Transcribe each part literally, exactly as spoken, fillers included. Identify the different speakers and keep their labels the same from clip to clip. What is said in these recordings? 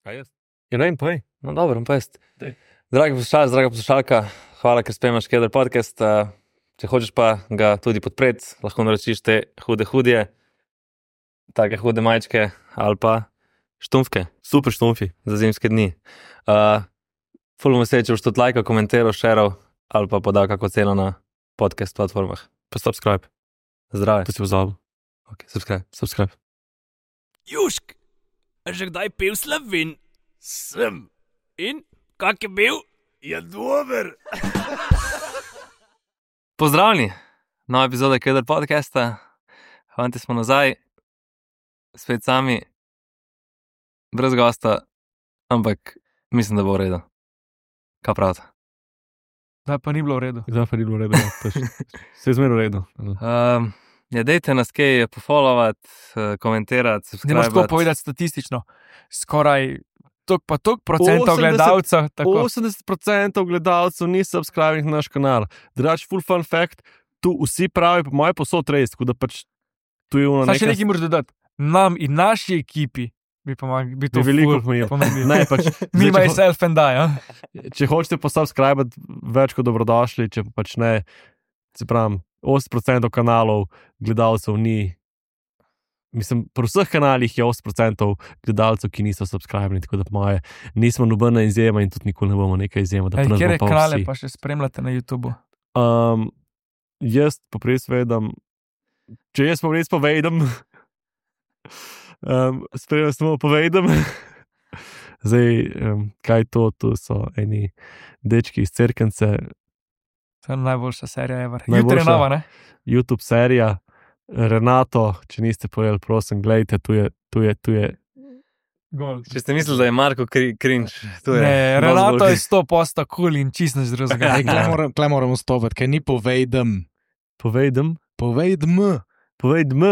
Speaker 1: Kaj jaz?
Speaker 2: Ja, ne, povej.
Speaker 1: No, dobro, pa jaz. Dragi poslušalec, draga poslušalka, hvala, ker spremljaš Keder podcast. Če hočeš pa ga tudi podpreti, lahko naročiš te hude hudje, take hude majčke ali pa štumfke.
Speaker 2: Super štumfi.
Speaker 1: Za zimske dni. Uh, ful bom vesel, če boš tudi lajkal, komentiral, šeral ali pa podal kako ceno na podcast platformah.
Speaker 2: Pa subscribe.
Speaker 1: Zdrave.
Speaker 2: To si pozabil.
Speaker 1: Ok, subscribe.
Speaker 2: Subscribe.
Speaker 3: Južk, a že kdaj pil Slovin? Sem. In, kak je bil? Je dober.
Speaker 1: Pozdravljeni, nova epizoda Keder podcasta. Fanti smo nazaj, spet sami, brez gosta, ampak mislim, da bo v redu. Kaj pravite?
Speaker 4: Da pa ni bilo v redu.
Speaker 2: Zdaj pa ni bilo v redu. Vse je zmerno v redu.
Speaker 1: Um, ja, dejte nas kaj pofollowati, komentirati,
Speaker 4: Ne moš tako
Speaker 1: subscribati.
Speaker 4: povedati statistično. Skoraj tok pa tok procentov
Speaker 2: osemdeset
Speaker 4: gledalcev. Tako.
Speaker 2: osemdeset procentov gledalcev ni subscribing na naš kanal. Drugač, full fun fact, tu vsi pravi, po moje posod res, tako da pač tu je ono
Speaker 4: Zdaj še
Speaker 2: nekaj...
Speaker 4: nekaj moraš dodati. Nam in naši ekipi bi pomagali. Bi to
Speaker 2: Bi veliko
Speaker 4: ful
Speaker 2: pomenilo.
Speaker 4: pomenilo.
Speaker 2: Ne, pač,
Speaker 4: Me,
Speaker 2: zdaj, če, ho-
Speaker 4: myself and I, ja.
Speaker 2: če hočete pa subscribati, več kot dobrodošli, če pa pač ne, se pravim, osemdeset procentov kanalov gledalcev ni, mislim, pri vseh kanalih je osemdeset procentov gledalcev, ki niso subscribeni, tako da po moje nismo nobena izjema in tudi nikoli ne bomo neka izjema, da
Speaker 4: Ej,
Speaker 2: pri nas
Speaker 4: Kere
Speaker 2: bomo pa
Speaker 4: kanale
Speaker 2: vsi.
Speaker 4: pa še spremljate na YouTubu?
Speaker 2: Um, jaz pa res vedem, če jaz pa res povedem, um, spremljam samo povedem. Zdaj, um, kaj to, to so eni dečki iz Cerkence,
Speaker 4: To je najboljša serija ever.
Speaker 2: Najboljša.
Speaker 4: Jutri je nova, ne?
Speaker 2: YouTube serija, Renato, če niste povedali, prosim, gledajte, tu je, tu je, tu je.
Speaker 4: Gol.
Speaker 1: Če ste mislili, da je Marko kri, cringe, tu je.
Speaker 4: Ne,
Speaker 1: dosti
Speaker 4: Renato
Speaker 1: bolj
Speaker 4: je sto posto cool in čist nič drugega.
Speaker 5: Ej, Kle moram, kle moram vstopiti, ker ni povedem.
Speaker 2: Povedem,
Speaker 5: Povedem.
Speaker 2: povedem.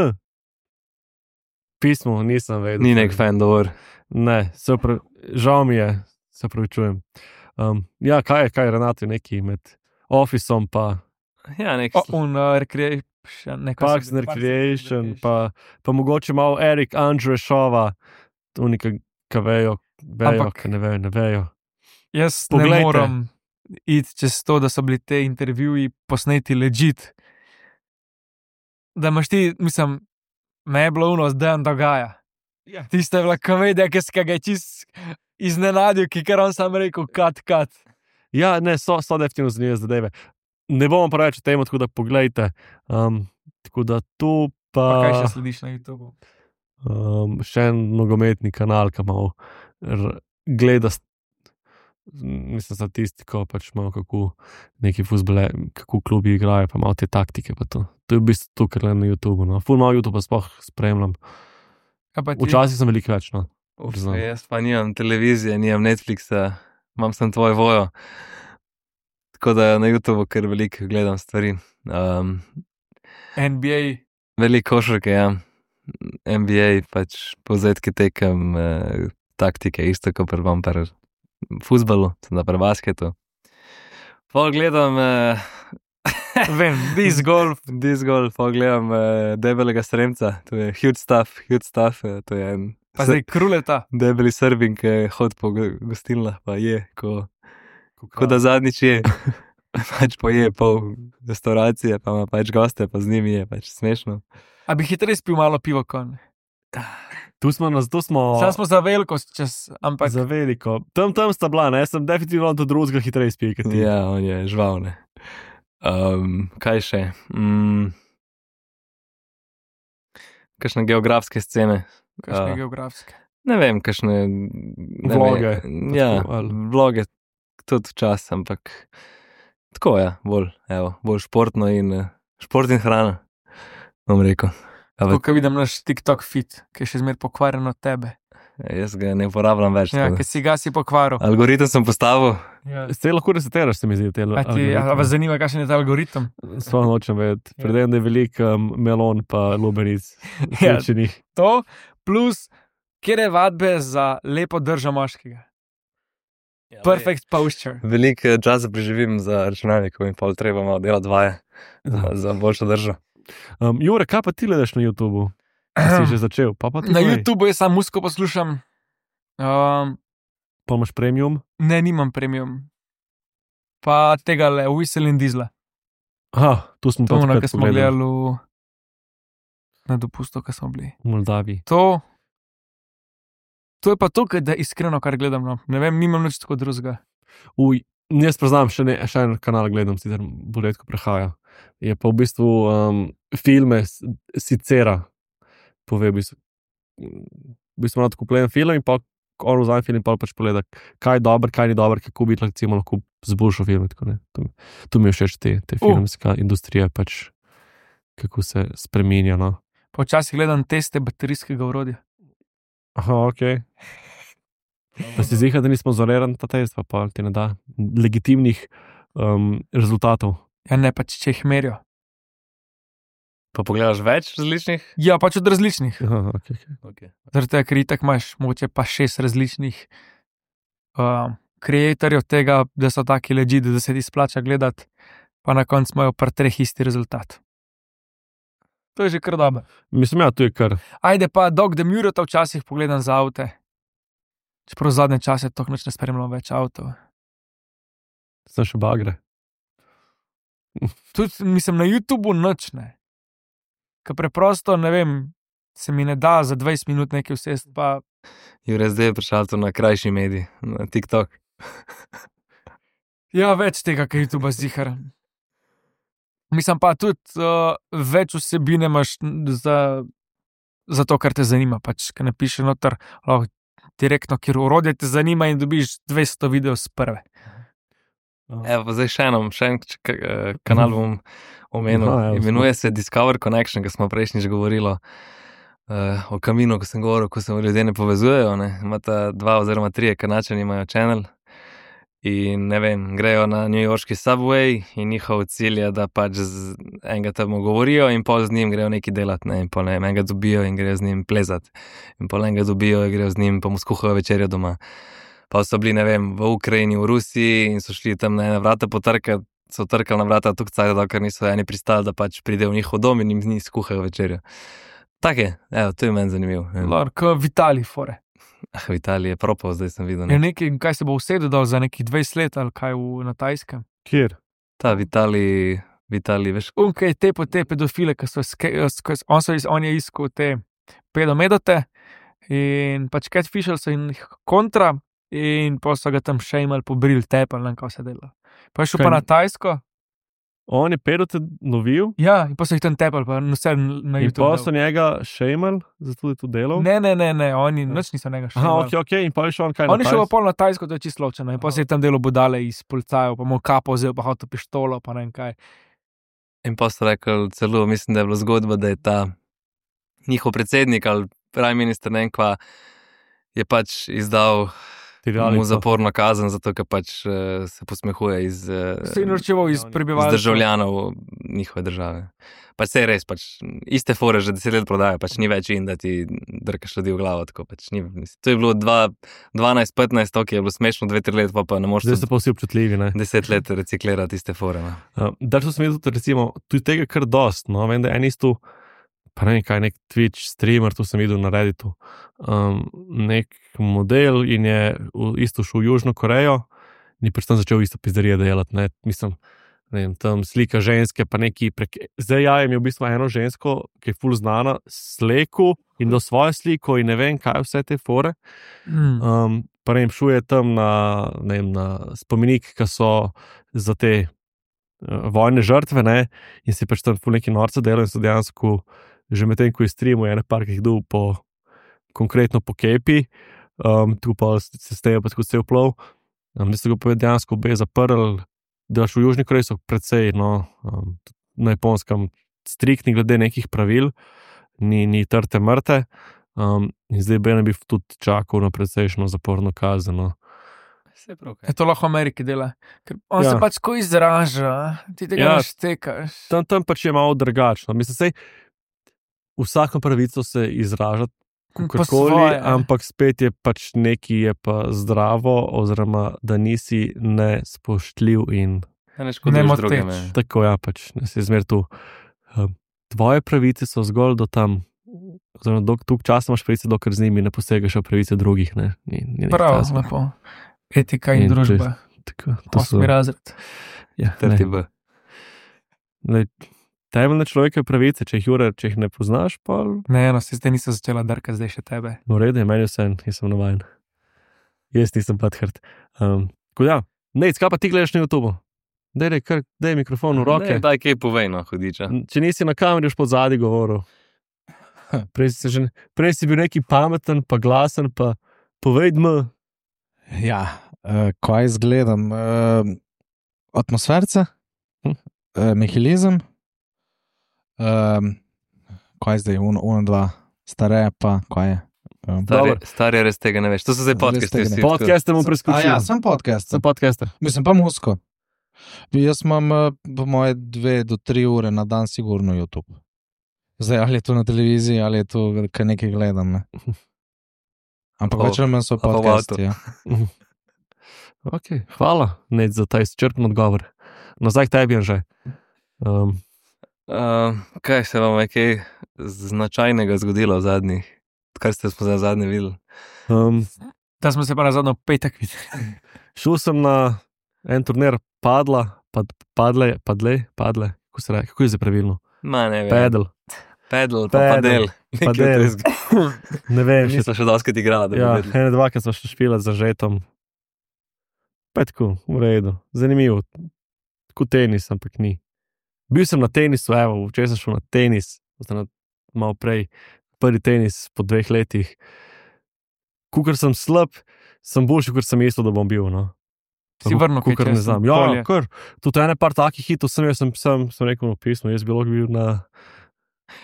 Speaker 2: Pismo, nisem vedel.
Speaker 1: Ni nek fan, dovolj.
Speaker 2: Ne, se pravi, žal mi je, se pravi, čujem. Um, ja, kaj je, kaj je Renato neki med Officeom pa
Speaker 1: Ja, nek.
Speaker 4: O, un uh, recreation, neko
Speaker 2: Parks and Recreation, pa, pa mogoče malo Erik Andrešova, tu nekaj, ki vejo, vejo,
Speaker 4: Ampak-
Speaker 2: ki ne vejo, ne vejo.
Speaker 4: Jaz
Speaker 2: Poglejte.
Speaker 4: ne moram iti čez to, da so bili te intervjuji posneti legit. Da imaš ti, mislim, me je bilo uno, zdaj on dogaja.
Speaker 2: Ja.
Speaker 4: Tista je bila komedija, ki se ga je čist iznenadil, ki kar on sam rekel, kat, kat.
Speaker 2: Ja, ne, so, so definitivno zanimive zadeve. Ne bomo pa reči o tem, tako da poglejte. Um, tako da tu pa,
Speaker 4: Pa kaj še slediš na YouTubu?
Speaker 2: um, še en nogometni kanal, ki malo r- gleda st- mislim, statistiko, pač malo kako neki fuzbole, kako klubi igrajo, pa malo te taktike. Pa to. to je v bistvu to, kar gledam na YouTubu. No. Ful malo YouTube pa sploh spremljam.
Speaker 4: Kaj pa ti?
Speaker 2: Včasih sem veliko več. No.
Speaker 1: Uf,
Speaker 2: priznam.
Speaker 1: jaz pa nimam televizije, nimam Netflixa, imam sem tvoj vojo. Tako da na YouTubu kar veliko gledam stvari. Um,
Speaker 4: N B A,
Speaker 1: veliko košarke, ja. N B A, pač povzetke tekem, eh, taktike, isto kot pri vam pri fuzbalu, tudi pri basketu. Pol gledam eh,
Speaker 4: vem, disc golf.
Speaker 1: disc golf, pol gledam eh, debelega sremca, to je huge stuff, huge stuff, eh, to je en
Speaker 4: Pa zdaj kruleta.
Speaker 1: debeli srbin, ki hodi po go- gostilnah, pa je, ko, ko da zadnjič je. Pač poje pol restauracije, pa ima pač goste, pa z njimi je pač smešno.
Speaker 4: A bi hitreje spil malo pivo kon?
Speaker 2: Tu smo, nas, tu smo
Speaker 4: Sam smo za veliko čas, ampak
Speaker 2: za veliko. Tam, tam sta bila, ne? Sem definitivno do drugega hitreje spil, kot ti.
Speaker 1: Ja, on je žvalne. Um, kaj še? Mm. Kakšne geografske scene?
Speaker 4: kakšne
Speaker 1: A.
Speaker 4: geografske.
Speaker 1: Ne vem, kakšne ne
Speaker 2: Vloge,
Speaker 1: Vem,
Speaker 2: pa
Speaker 1: ja,
Speaker 2: tako, ali-
Speaker 1: vloge tudi včasih, ampak tako je, bolj, evo, bolj športno in eh, šport in hrana, bom rekel. A
Speaker 4: Tako,
Speaker 1: v-
Speaker 4: ko vidim naš TikTok feed, ki je še zmer pokvarjen od tebe.
Speaker 1: Jaz ga ne uporabljam več.
Speaker 4: Ja,
Speaker 1: tako da.
Speaker 4: ki si ga si pokvaril.
Speaker 1: Algoritem sem postavil.
Speaker 4: Ja.
Speaker 2: Se lahko resetiraš, se mi zdi, te
Speaker 4: A, ti, a vas zanima, kakšen je ta algoritem?
Speaker 2: Sploh nočem vedeti.
Speaker 4: Ja.
Speaker 2: Predem, da je veliko um, melon pa lubenic.
Speaker 4: Ja.
Speaker 2: Srečenih.
Speaker 4: To plus, kjer je vadbe za lepo držo moškega. Perfect posture.
Speaker 1: Veliko eh, časa preživim za računalnikom in pol treba malo delati vaje za, za boljšo držo.
Speaker 2: Um, Jure, kaj pa ti gledaš na YouTubu? Si že začel? Pa pa ti
Speaker 4: Na
Speaker 2: povej.
Speaker 4: YouTubu jaz sam muziko poslušam. Um,
Speaker 2: Pa imaš premium?
Speaker 4: Ne, nimam premium. Pa tega le, Whistle in Diesla.
Speaker 2: Aha, tu smo
Speaker 4: To,
Speaker 2: to
Speaker 4: na
Speaker 2: takrat
Speaker 4: kar smo
Speaker 2: pogledali.
Speaker 4: gledali v... na dopustu, ko smo bili.
Speaker 2: V Moldaviji.
Speaker 4: To, to je pa to, da iskreno, kar gledam. No. Ne vem, nimam nič tako drugega.
Speaker 2: Uj, jaz priznam, še, ne, še en kanal gledam, sicer bolj redko prehaja. Je pa v bistvu um, filme s- Sicera. Pove v bistvu, v bistvu ima tako kupljen film in pa on vzame film in pa pač pogleda, kaj je dobro, kaj ni dobro, kako bi recimo lahko zboljšal film. Tako, ne. To, mi- to mi je všeč, te, te
Speaker 4: Uh.
Speaker 2: filmska industrija, pač kako se spreminja. No.
Speaker 4: Počasih gledam teste baterijskega orodja.
Speaker 2: Aha, ok. Da si zihar, da nismo zonirani ta test, pa, pa ti ne da legitimnih um, rezultatov.
Speaker 4: Ja, ne pač, če jih merijo.
Speaker 1: Pa pogledaš več različnih?
Speaker 4: Ja, pač od različnih.
Speaker 2: Aha, okay, okay.
Speaker 1: Okay.
Speaker 4: Zaradi tega, ker itak imaš mogoče pa šest različnih uh, kreatorjev tega, da so taki legit, da se ti splača gledati, pa na koncu imajo pri treh isti rezultat. To je že kar dobro.
Speaker 2: Mislim, ja, tu je kar.
Speaker 4: Ajde pa, Dog the Murata včasih pogledam za avte. Čeprav zadnje čase toliko noč ne spremljam več avtov.
Speaker 2: Sem še bagre.
Speaker 4: Tudi, mislim, na YouTubu noč ne. Ker preprosto, ne vem, se mi ne da za dvajset minut nekaj usesti, pa
Speaker 1: Jure, zdaj je prišel to na krajši medij, na TikTok.
Speaker 4: ja, več tega, kaj YouTube zihar. Mislim pa tudi uh, več vsebine imaš za, za to, kar te zanima. Pač, ker napišeš noter, lahko direktno, ker urodje te zanima in dobiš dvesto videov z prve.
Speaker 1: Evo, pa zdaj še eno, še en č- k- eh, kanal bom omenil.
Speaker 2: Aha, evo,
Speaker 1: Imenuje se Discover Connection, ki smo prejšnjič govorili uh, o kaminu, ko sem govoril, ko se ljudje ne povezujejo. Ne. Imata dva oziroma trije kanačani imajo channel in ne vem, grejo na newyorški subway in njihov cilj je, da pač z enega tam govorijo in pol z njim grejo nekaj delati, ne, in pol ne vem, enega dobijo in grejo z njim plezati. In pol enega dobijo in grejo z njim, pa mu skuhajo večerjo doma. Pa so bili, ne vem, v Ukrajini, v Rusiji in so šli tam na ena vrata potrkati, so trkali na vrata tukaj, cajt, dokler niso eni pristali, da pač pridejo v njihov dom in jim z njih skuhajo večerjo. Tak je, evo, to je meni zanimivo.
Speaker 4: Lor, kot Vitali fore.
Speaker 1: Ah, v Italiji je propal, zdaj sem videl.
Speaker 4: Je
Speaker 1: Ne.
Speaker 4: nekaj, kaj se bo usedel dol za nekih dvajset let ali kaj v, na Tajskem.
Speaker 2: Kjer?
Speaker 1: Ta v Italiji, v Italiji, veš,
Speaker 4: Unkaj te po te pedofile, ki so, ske, sk, on, so iz, on je iskal te pedomedote in pač catfishal so in jih kontra in pa so ga tam še imeli pobril tepel, ne vem, kaj se dela. Pa je šel
Speaker 2: Kaj
Speaker 4: pa na
Speaker 2: ni-
Speaker 4: Tajsko,
Speaker 2: On je pedote novil
Speaker 4: ja, in pa so jih tam tepel, pa vse na
Speaker 2: in pa so
Speaker 4: YouTube.
Speaker 2: njega šejmali, zato je tu delal.
Speaker 4: Ne, ne, ne, ne, oni nič niso njega še.
Speaker 2: Aha, ok, ok, in pa je šel on kaj
Speaker 4: On je šel
Speaker 2: na
Speaker 4: pa pol na Tajsko, to je čisto ločeno, in pa se je tam delo budale iz policajev, pa mu kapo vzel, pa hotel pištolo, pa ne vem kaj.
Speaker 1: in pa so rekli celo, mislim, da je bila zgodba, da je ta njihov predsednik ali prime minister, ne vem kva, je pač izdal mu zaporno kazen, zato ker pač uh, se posmehuje iz, uh,
Speaker 4: Se je norčeval iz
Speaker 2: iz
Speaker 1: iz
Speaker 4: prebivalstva.
Speaker 1: državljanov njihove države. Pač se je res, pač iste fore že deset let prodaja, pač ni več in da ti drkaš ljudi v glavo. Tako, pač ni, to je bilo dva, dvanajst petnajst, to je bilo smešno, dve tri let, pa, pa ne moreš
Speaker 2: Zdaj so pa vsi občutljivi. Ne?
Speaker 1: deset let reciklirati iste fore. No.
Speaker 2: Uh, da, so sem videl, tudi, recimo, tu je tega kar dost. No? Vem, da en isto, pa ne vem kaj, nek Twitch streamer, tu sem videl na Redditu, um, nek model in je v, isto šel v Južno Korejo in je pač tam začel isto pizzerije delati. Ne? Mislim, ne vem, tam slika ženske, pa neki prek... Zdaj ja, je v bistvu eno žensko, ki je ful znana, sleku in do svojo sliko in ne vem, kaj vse te fore.
Speaker 4: Mm.
Speaker 2: Um, pa ne vem, šuje tam na, ne vem, na spomenik, ki so za te uh, vojne žrtve, ne, in si pač tam ful neki norce delajo in so dejansko že medtem, ko je streamu, je ene par, ki jih dol po, konkretno po kepi, um, tu pa se stejo pa tako cel plov, um, da so ga pa dejansko obe zaprli, da v Južni Koreji so precej, no, um, na Japonskem striktni glede nekih pravil, ni, ni trte mrte, um, in zdaj bi ne bi tudi čakal na precejšno zaporno kazen. No.
Speaker 1: Vse prav,
Speaker 4: Je to lahko v Ameriki dela, ker on
Speaker 2: Ja.
Speaker 4: ja. se pač ko izraža, ti tega
Speaker 2: Ja.
Speaker 4: ja. ne štekaš.
Speaker 2: Tam, tam pač je malo drugačno. Mislim, sej, vsako pravico se izražati,
Speaker 4: Po
Speaker 2: kakorkoli,
Speaker 4: svoje.
Speaker 2: ampak spet je pač nekaj je pa zdravo, oziroma da nisi nespoštljiv in
Speaker 1: ne
Speaker 4: Ne
Speaker 1: škoduješ
Speaker 4: moteč.
Speaker 1: drugim. ne.
Speaker 2: tako, ja, pač ne si zmer tu. Um, tvoje pravice so zgolj do tam, oziroma dok, tuk časa imaš pravice, dokler z njimi ne posegaš v pravice drugih. Ne, ni, ni nekaj
Speaker 4: Prav,
Speaker 2: takega.
Speaker 4: lepo. Etika in,
Speaker 2: In to je-
Speaker 4: družba.
Speaker 2: Tako, to so,
Speaker 4: Osmi razred.
Speaker 2: ja,
Speaker 1: Trti
Speaker 2: ne,
Speaker 1: B.
Speaker 2: ne, temeljne človekove pravice, če jih, Jure, če jih ne poznaš, pa
Speaker 4: Ne, eno, se zdaj nisem začela drkati, zdaj še tebe.
Speaker 2: v redu, je meni vse, jaz sem navajen. Jaz nisem padhrt. Um, tako ja, ne, kaj pa ti gledaš na YouTubu? Daj, daj, kar, daj mikrofon v roke.
Speaker 1: Ne, daj kaj povej, no, hudiča.
Speaker 2: Če nisi na kameri, už pod zadnji govoril. Prej si, se že, prej si bil neki pameten, pa glasen, pa povej mi.
Speaker 5: Ja, uh, kaj izgledam? Uh, atmosferce,
Speaker 2: Hm.
Speaker 5: uh, nihilizem, um, kaj zdaj, uno, uno dva, stare pa, kaj je. Um,
Speaker 1: Stari,
Speaker 2: Dobro.
Speaker 1: stari res tega ne veš. To so zdaj
Speaker 5: Res
Speaker 1: podcasti.
Speaker 5: tega ne-
Speaker 1: vsi,
Speaker 2: Podcaste bom
Speaker 5: A
Speaker 2: preskočil.
Speaker 5: ja, sem podcast.
Speaker 2: Sem podcaste.
Speaker 5: Mislim pa musko. Jaz imam uh, po moje dve do tri ure na dan sigurno YouTube. Zdaj, ali je to na televiziji, ali je to, kaj nekaj gledam. Ne? Ampak
Speaker 1: Pa-
Speaker 5: več ali manj so
Speaker 1: pa v
Speaker 5: podcasti. Ja.
Speaker 2: Okay, hvala, Ned, za ta izčrpen odgovor. Nazaj k tebi, že. Um,
Speaker 1: Uh, kaj se vam je kaj značajnega zgodilo v zadnjih, kar ste smo zdaj zadnje videli?
Speaker 2: um,
Speaker 4: Da smo se pa na zadnjo petek videli.
Speaker 2: šel sem na en turnir padla, pad, padle, padle, padle, kako se reče, kako je zdaj pravilno?
Speaker 1: Ma ne vem.
Speaker 2: Pedal.
Speaker 1: Pedal, pa
Speaker 2: Pedal,
Speaker 1: padel. Nekaj
Speaker 2: padel.
Speaker 1: drugega.
Speaker 2: Ne vem, še
Speaker 1: Nisem še doskrat igrala, da bi
Speaker 2: ja,
Speaker 1: vedel.
Speaker 2: ene dva, ki smo še špila za žetom. Petko, v redu, zanimivo. Tako tenis, ampak ni. Bil sem na tenisu, evo, včeraj sem šel na tenis, na, malo prej, prvi tenis po dveh letih. Kukor sem slab, sem boljši, kot sem mislil, da bom bil. No.
Speaker 4: Si vrnil kaj
Speaker 2: Kukor ne
Speaker 4: čez
Speaker 2: znam. Ja,
Speaker 4: polje.
Speaker 2: kar. Tudi ene par takih hitov sem, jaz sem, sem, sem rekel v pismu, jaz bi lahko bil na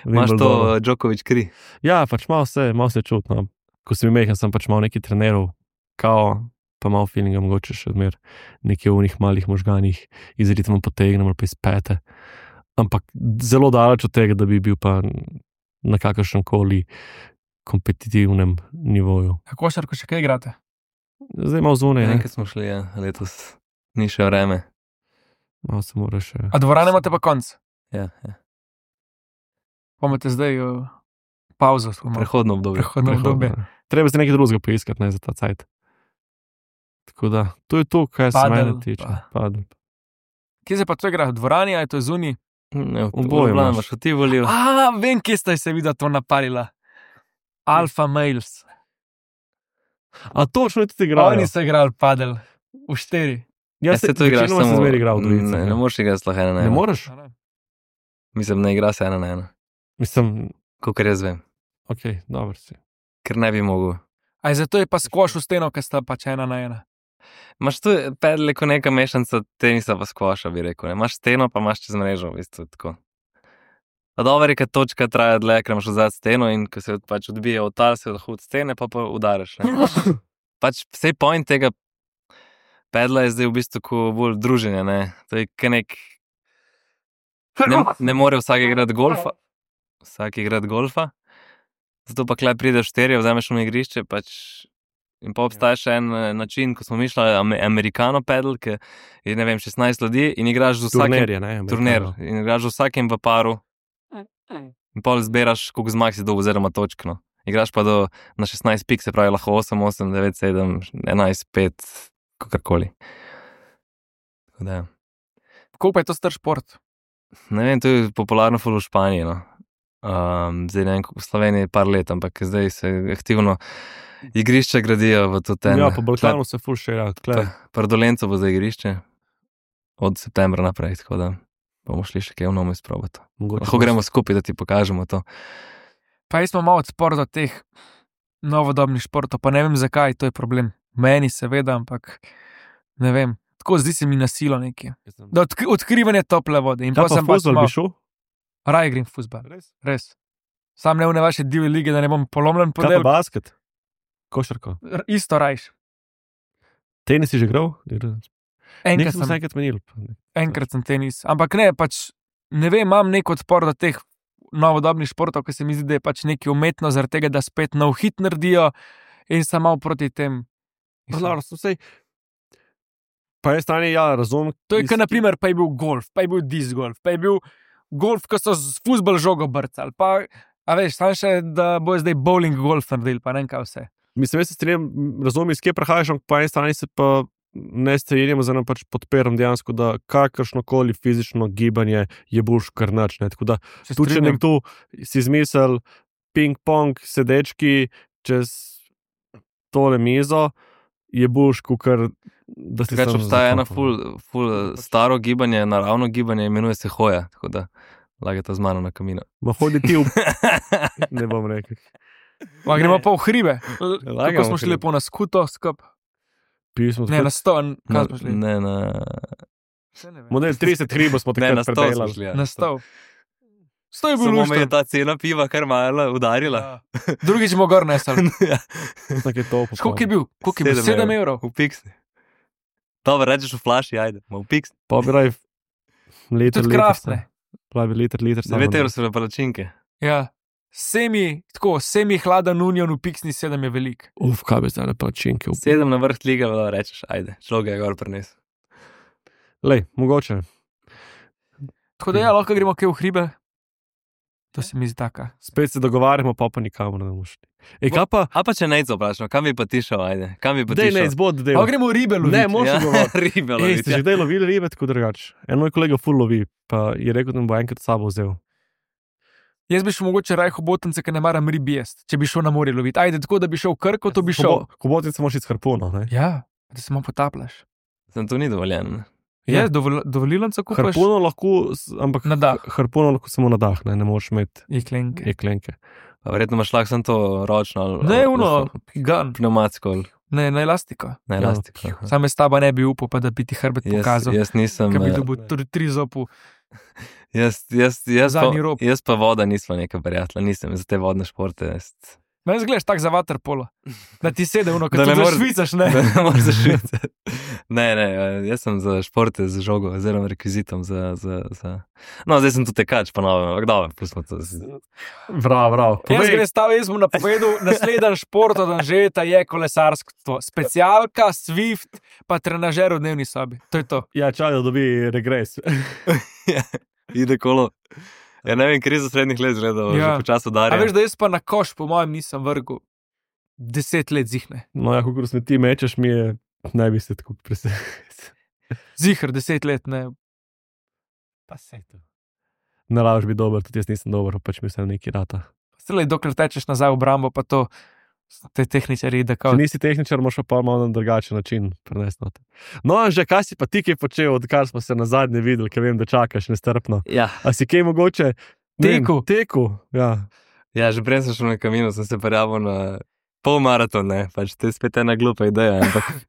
Speaker 1: Imaš to
Speaker 2: Wimbledonu.
Speaker 1: uh, Djokovic kri.
Speaker 2: Ja, pač malo se, malo se čutno. Ko sem imel, sem pač malo neki trenerov, kao, pa malo feelinga, mogoče še odmer nekje v njih malih možganih iz ritma potegnem ali pa iz pete. Ampak zelo daleč od tega, da bi bil pa na kakršnem koli kompetitivnem nivoju.
Speaker 4: Kako šarko še kaj igrate?
Speaker 2: Zdaj malo zunaj, ne?
Speaker 1: Enkrat smo šli, ja, letos. Ni še vreme.
Speaker 2: Malo se mora še.
Speaker 4: A dvorane imate pa konc?
Speaker 1: Ja, ja.
Speaker 4: Pa imate zdaj uh, pauzo. smo imeli.
Speaker 1: Prehodno obdobje.
Speaker 4: Prehodno obdobje.
Speaker 2: Treba se nekaj drugega poiskati, ne za ta cajt. Tako da, to je to, kaj se
Speaker 4: Padel,
Speaker 2: mene tiče.
Speaker 4: pa.
Speaker 2: Padel.
Speaker 4: Kje se pa to igra? V dvorani ali je to zunaj?
Speaker 1: Ne,
Speaker 2: Oboje
Speaker 1: Ljubljana
Speaker 2: imaš.
Speaker 1: imaš v Tivoliju.
Speaker 4: A, vem, kje ste se videli to napalila. Alfa Males.
Speaker 2: A točno je tudi igral.
Speaker 4: Oni so igrali padel v štiri.
Speaker 2: Jaz
Speaker 1: se to igraš
Speaker 2: večinoma
Speaker 1: samo.
Speaker 2: sem zmeraj igral v dvojici.
Speaker 1: Ne, ne moreš igrati sploh ena na
Speaker 2: Ne
Speaker 1: ena.
Speaker 2: moreš?
Speaker 1: Mislim, ne igra se ena na ena.
Speaker 2: Mislim,
Speaker 1: Kakor jaz vem.
Speaker 2: ok, dobro si.
Speaker 1: Ker ne bi mogel.
Speaker 4: Aj zato je pa skvoš v steno, ker sta pač ena na ena.
Speaker 1: Imaš tu pedle kot neka mešanca tenisa pa skvoša, bi rekel. Ne? Imaš steno, pa imaš čez mrežo, v bistvu tako. A dobro je, kad točka traja dlje, ker imaš vzad steno in ko se pač odbije od tal, se lahko od stene, pa pa udaraš. Ne? Pač vsej point tega pedla je zdaj v bistvu ko bolj druženje, ne? To je kaj nek... Ne, ne more vsak igrati golfa, vsak igrati golfa, zato pa klej prideš šterje, vzameš na igrišče, pač in pa obstaja še en eh, način, ko smo mišljali ame- americano pedal, ki je, ne vem, šestnajst ljudi in igraš z vsakim...
Speaker 2: Turnir je, ne?
Speaker 1: Turnir.
Speaker 2: amerikano.
Speaker 1: In igraš z vsakim v paru in pol zbiraš, koliko zmag si do oziroma točk, no. Igraš pa do, na šestnajst pik, se pravi lahko osem, osem, devet, sedem, enajst, pet, kakorkoli. Tako da, ja.
Speaker 4: Koliko pa je to star šport?
Speaker 1: Ne vem, to je popularno ful v Španiji, no. Um, zdaj ne vem, v Sloveniji par let, ampak zdaj se aktivno igrišča gradijo v to ten.
Speaker 2: Ja, po Balkanu se ful še rad.
Speaker 1: Pardolenco bo za igrišče od septembra naprej, tako da bomo šli še kaj v novo izprobati. Lahko gremo skupaj, da ti pokažemo to.
Speaker 4: Pa jaz smo malo odpor do teh novodobnih športov, pa ne vem zakaj, to je problem. Meni seveda, ampak ne vem. Tako zdi se mi nasilo nekje. Da odk odkrivanje tople vode. In
Speaker 2: Kaj
Speaker 4: pa
Speaker 2: pa
Speaker 4: sem pač
Speaker 2: fuzbal
Speaker 4: malo,
Speaker 2: bi šel?
Speaker 4: raje grem v fuzbal.
Speaker 2: Res?
Speaker 4: Res. Sam ne v ne vaše divje lige, da ne bom polomljen
Speaker 2: Kaj pa
Speaker 4: podel.
Speaker 2: basket? Košarko.
Speaker 4: R- Isto rajš.
Speaker 2: Tenis si že igral?
Speaker 4: Enkrat
Speaker 2: Nekaj smo se
Speaker 4: sem,
Speaker 2: enkrat menili.
Speaker 4: enkrat sem tenis. Ampak ne, pač ne vem, imam nek odpor do teh novodobnih športov, ki se mi zdi, da je pač nekaj umetno, zaradi tega, da spet nov hit naredijo in sem malo proti tem.
Speaker 2: Dobro, so vsej. Pa je strani, ja, razumem.
Speaker 4: To je, kot naprimer, pa je bil golf, pa je bil disc golf, pa je bil golf, ko so z fuzbol žogo brcali. Pa, a veš, sam še, da bo zdaj bowling golf naredili, pa ne vem kaj vse.
Speaker 2: Mislim, jaz se strinjam, razumem, iz kje prehajaš, ampak po eni strani se pa ne strinjam, oziroma pač podpiram dejansko, da kakršnokoli fizično gibanje je boljš kar nič. Ne? Tako da,
Speaker 4: Se
Speaker 2: tu če
Speaker 4: strinjam.
Speaker 2: nekdo si izmisel ping-pong sedečki čez tole mizo, je boljš, kakor da si
Speaker 1: Drugače
Speaker 2: sam
Speaker 1: obstaja
Speaker 2: za
Speaker 1: eno
Speaker 2: klopom.
Speaker 1: ful, ful staro gibanje, naravno gibanje, imenuje se hoja, tako da lagate z mano na kamino.
Speaker 2: Ma hodi ti v... ne bom rekel.
Speaker 4: Ma, gremo pa v hribe.
Speaker 1: Lagamo
Speaker 4: Kako smo
Speaker 1: v
Speaker 4: šli
Speaker 1: hribe.
Speaker 4: lepo na skuto, skup.
Speaker 2: Pili smo
Speaker 4: Ne, na sto,
Speaker 1: Na,
Speaker 4: kaj smo šli?
Speaker 1: ne, na,
Speaker 4: Saj ne vem.
Speaker 2: Model trideset hribov smo
Speaker 1: ne, na
Speaker 2: takrat
Speaker 1: sto smo
Speaker 2: predelali.
Speaker 1: šli. Ja.
Speaker 4: Na sto. Sto je bilo
Speaker 1: Samo me je
Speaker 4: luštno.
Speaker 1: ta cena piva kar malo udarila.
Speaker 4: Ja. Drugič bomo gor nesali.
Speaker 1: Ja.
Speaker 2: Tako je to.
Speaker 4: Koliko je bil? Koliko je bil?
Speaker 1: Sedem
Speaker 4: Sedem
Speaker 1: evrov.
Speaker 4: evrov.
Speaker 1: V piksni. Dobro, rečeš v flaši, ajde, ma v piksni.
Speaker 2: Pa bi raj liter,
Speaker 4: Tudi
Speaker 2: liter.
Speaker 4: kraftne.
Speaker 2: Pravi liter, liter. samo
Speaker 1: devet
Speaker 2: da-
Speaker 1: evrov so bile palačinke.
Speaker 4: Ja. Semi, tako, semi hladen union v piksni sedem je velik.
Speaker 2: Uf, kaj bi zdaj na pačinke.
Speaker 1: Sedem na vrh liga, da rečeš, ajde, človek ga je gor prinesel.
Speaker 2: Lej, mogoče.
Speaker 4: Tako da ja, lahko gremo kaj v hribe. To se mi zdi taka.
Speaker 2: Spet se dogovarjamo, pa pa nikamor ne bomo šli. Ej, kaj pa?
Speaker 1: A pa če ne vprašam, kam bi pa ti šel, ajde, kam bi pa ti
Speaker 2: Dej,
Speaker 1: šel?
Speaker 2: ne, izbod, dej.
Speaker 4: Pa gremo ribe loviti.
Speaker 2: Ne, moš
Speaker 1: Ja,
Speaker 2: govoriti.
Speaker 1: ribe
Speaker 2: Ej,
Speaker 1: loviti.
Speaker 2: ste že kdaj lovili ribe, tako drugače. En moj kolega ful lovi, pa je rekel, da mi bo enkrat s sabo vzel.
Speaker 4: Jaz bi šel mogoče raj hobotnice, ker ne maram rib jesti, če bi šel na morje loviti. Ajde, tako da bi šel v Krko, to bi šel.
Speaker 2: Kobotic moš iti s harpuno, ne?
Speaker 4: Ja, da se malo potapljaš.
Speaker 1: Sem to ni dovoljeno. ne?
Speaker 4: Je, dovol, dovolilnico kupaš
Speaker 2: Harpuno lahko, s- ampak
Speaker 4: na dah.
Speaker 2: harpuno lahko samo na dah, ne, ne moreš imeti
Speaker 4: Jeklenke.
Speaker 2: jeklenke.
Speaker 1: Pa verjetno imaš lahko samo to ročno ali
Speaker 4: Ne,
Speaker 1: ali-
Speaker 4: uno, gun.
Speaker 1: pneumatsko ali
Speaker 4: Ne, na elastiko.
Speaker 1: na
Speaker 2: Ja.
Speaker 1: elastiko. aha.
Speaker 4: Sam jaz taba ne bi upal, pa da bi ti hrbet
Speaker 1: Jaz,
Speaker 4: pokazal.
Speaker 1: jaz nisem,
Speaker 4: Ker bi
Speaker 1: eh,
Speaker 4: dobil tudi tri zopu.
Speaker 1: jaz, jaz, jaz,
Speaker 4: zadnji
Speaker 1: pa,
Speaker 4: rob.
Speaker 1: jaz pa voda nisva neka prijatelja, nisem za te vodne športe. Jaz,
Speaker 4: Meni zgledaš tak za waterpolo. Da ti sede uno,
Speaker 1: Da
Speaker 4: kad
Speaker 1: ne
Speaker 4: ti
Speaker 1: moreš-
Speaker 4: švicaš,
Speaker 1: da
Speaker 4: ne?
Speaker 1: ne moreš zašvicati. Ne, ne, eh, jaz sem za športe z žogo oziroma rekvizitom. Za, za, za... No, zdaj sem tu tekač, pa novo, ampak dobro, pustimo to.
Speaker 2: Vrav, vrav.
Speaker 4: Jaz
Speaker 2: Povej,
Speaker 4: grem stav, jaz mu napovedal, naslednji šport od Anžeta je kolesarstvo. Specialka, Swift, pa trenažer v dnevni sobi. To je to.
Speaker 2: ja, čaj, da dobi regres.
Speaker 1: Ide kolo. Ja, ne vem, krizo srednjih let gledal,
Speaker 4: Ja.
Speaker 1: že počasi
Speaker 4: A
Speaker 1: udarja.
Speaker 4: veš, da jaz pa na koš, po mojem, nisem vrgel. Deset let zihne.
Speaker 2: No, ja, kako smeti mečeš, mi je, ne bi se tako presenil.
Speaker 4: Zihr, deset let, ne.
Speaker 2: Pa se to. Ne laž bi dober, tudi jaz nisem dober, pač mi vse nekaj rata.
Speaker 4: Stelej, dokler tečeš nazaj v obrambo, pa to te tehničari, da
Speaker 2: Če
Speaker 4: kao.
Speaker 2: nisi tehničar, moraš pa malo na drugačen način prenesti. noter. No, že kaj si pa ti kaj počel, odkar smo se na zadnje videli, ker vem, da čakaš nestrpno.
Speaker 1: Ja.
Speaker 2: A si kaj mogoče? ne vem,
Speaker 4: Tekel.
Speaker 2: Tekel, ja.
Speaker 1: Ja, že prej sem šel na kamino, sem se prijavil na polmaraton, ne, pač to je spet ena glupa ideja, ampak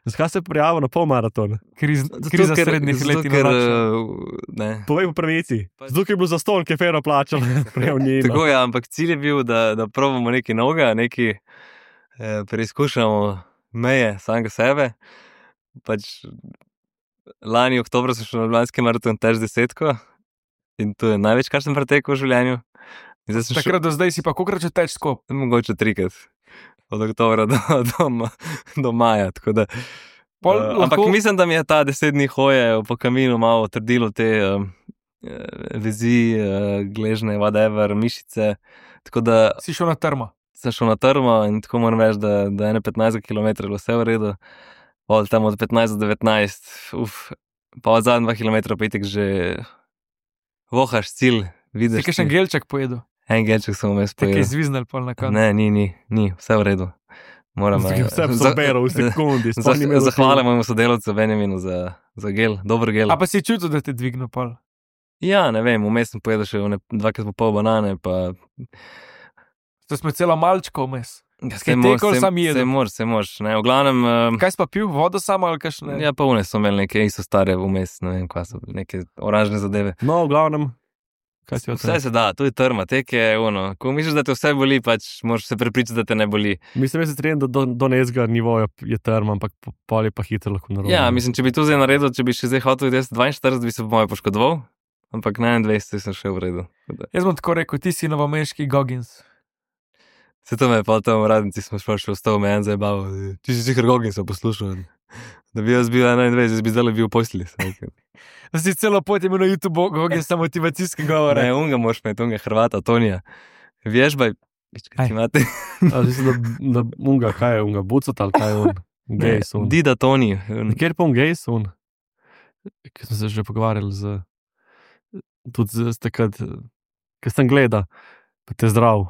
Speaker 2: Zakaj se je prijavil na polmaraton?
Speaker 4: Kriz,
Speaker 1: Zato,
Speaker 4: kriza
Speaker 1: ker-
Speaker 4: srednjih
Speaker 1: zato,
Speaker 4: let in
Speaker 1: ker,
Speaker 4: nočno.
Speaker 1: eh, ne.
Speaker 2: Povej po pravici. Zato, ker je bil za stol, ki je fero plačal, prej v njej.
Speaker 1: Tako je, ampak cilj je bil, da, da probamo nekaj novega, nekaj eh, preizkušamo meje samega sebe. Pač, lani oktober sem šel na Ljubljanski maraton tež desetko in to je največ, kar sem pretekel v življenju. In zdaj sem šel,
Speaker 4: Takrat do zdaj si pa kokrat že teč skop.
Speaker 1: mogoče trikrat. Od oktobra do, do, ma- do maja. tako Da,
Speaker 4: Pol
Speaker 1: uh,
Speaker 4: lahko-
Speaker 1: ampak mislim, da mi je ta deset dni hoje po kaminu malo trdilo te uh, vezi, uh, gležne, whatever, mišice. Tako da
Speaker 4: Si šel na trmo.
Speaker 1: sem šel na trmo in tako moram reči, da, da je ene petnajst kilometrov bilo vse v redu. Pol tam od petnajst do devetnajst, uf, pa od zadnjih dva kilometra pa itek že vohaš cilj,
Speaker 4: Si
Speaker 1: vidiš.
Speaker 4: kaj še
Speaker 1: ti-
Speaker 4: gelček pojedel.
Speaker 1: En gelček sem vmes
Speaker 4: Te kaj
Speaker 1: pojedel.
Speaker 4: zviznal pol na koncu.
Speaker 1: Ne, ni, ni, ni, vse v redu. Moram eh,
Speaker 2: Vse
Speaker 1: za-
Speaker 2: zaberal v sekundi. sploh ni imel
Speaker 1: za- Zahvalim
Speaker 2: zaključka.
Speaker 1: mojemu sodelavcu Benjaminu za, za gel, dober gel.
Speaker 4: A pa si čutil, da te dvignil pol.
Speaker 1: Ja, ne vem, vmes sem pojedel še one dvakrat po pol banane, pa
Speaker 4: To smo celo malčko vmes.
Speaker 1: ja,
Speaker 4: Kaj tekel, sam jedel?
Speaker 1: Se moraš, se moraš. Ne, v glavnem, eh,
Speaker 4: Kaj si pa pil, vodo samo ali kakšne?
Speaker 1: ja, pa une so imeli neke isto stare vmes, ne vem, kaj so, neke oranžne zadeve.
Speaker 2: No, v glavnem, kaj si
Speaker 1: Vse se da, to je trma, tek je ono. Ko misliš, da te vse boli, pač moraš se prepričati, da te ne boli.
Speaker 2: Mislim, da se trenim, da do, do nezga nivoja je term, ampak po- pol je pa hitro lahko narobe.
Speaker 1: Ja, mislim, če bi to zdaj naredil, če bi še zdaj hotel iti dvainštirideset, bi se po mojem poškodoval, ampak na enaindvajset sem še v redu. Tako da-
Speaker 4: Jaz bom tako rekel, ti si novomeški Goggins.
Speaker 1: Se to me je pa tam v radnici, smo šli še v sto me en zabaval, ti si sicer Gogin sem poslušal. Da bi jaz bil enaindvajset, jaz bi zdaj bil v posli.
Speaker 4: Da si celo pot imel na YouTube Goggins motivacijske govore.
Speaker 1: Ne, unga moraš imeti, unga Hrvata, Tonija. Vježbaj, Kaj ti imate?
Speaker 2: A, mislim, da, da unga, kaj je unga, bucot ali kaj je un, gej sun.
Speaker 1: Dida Toni.
Speaker 2: Kjer pa un gej sun? Ki smo se že pogovarjali z, tudi z takrat, ki sem gleda, pa te zdrav.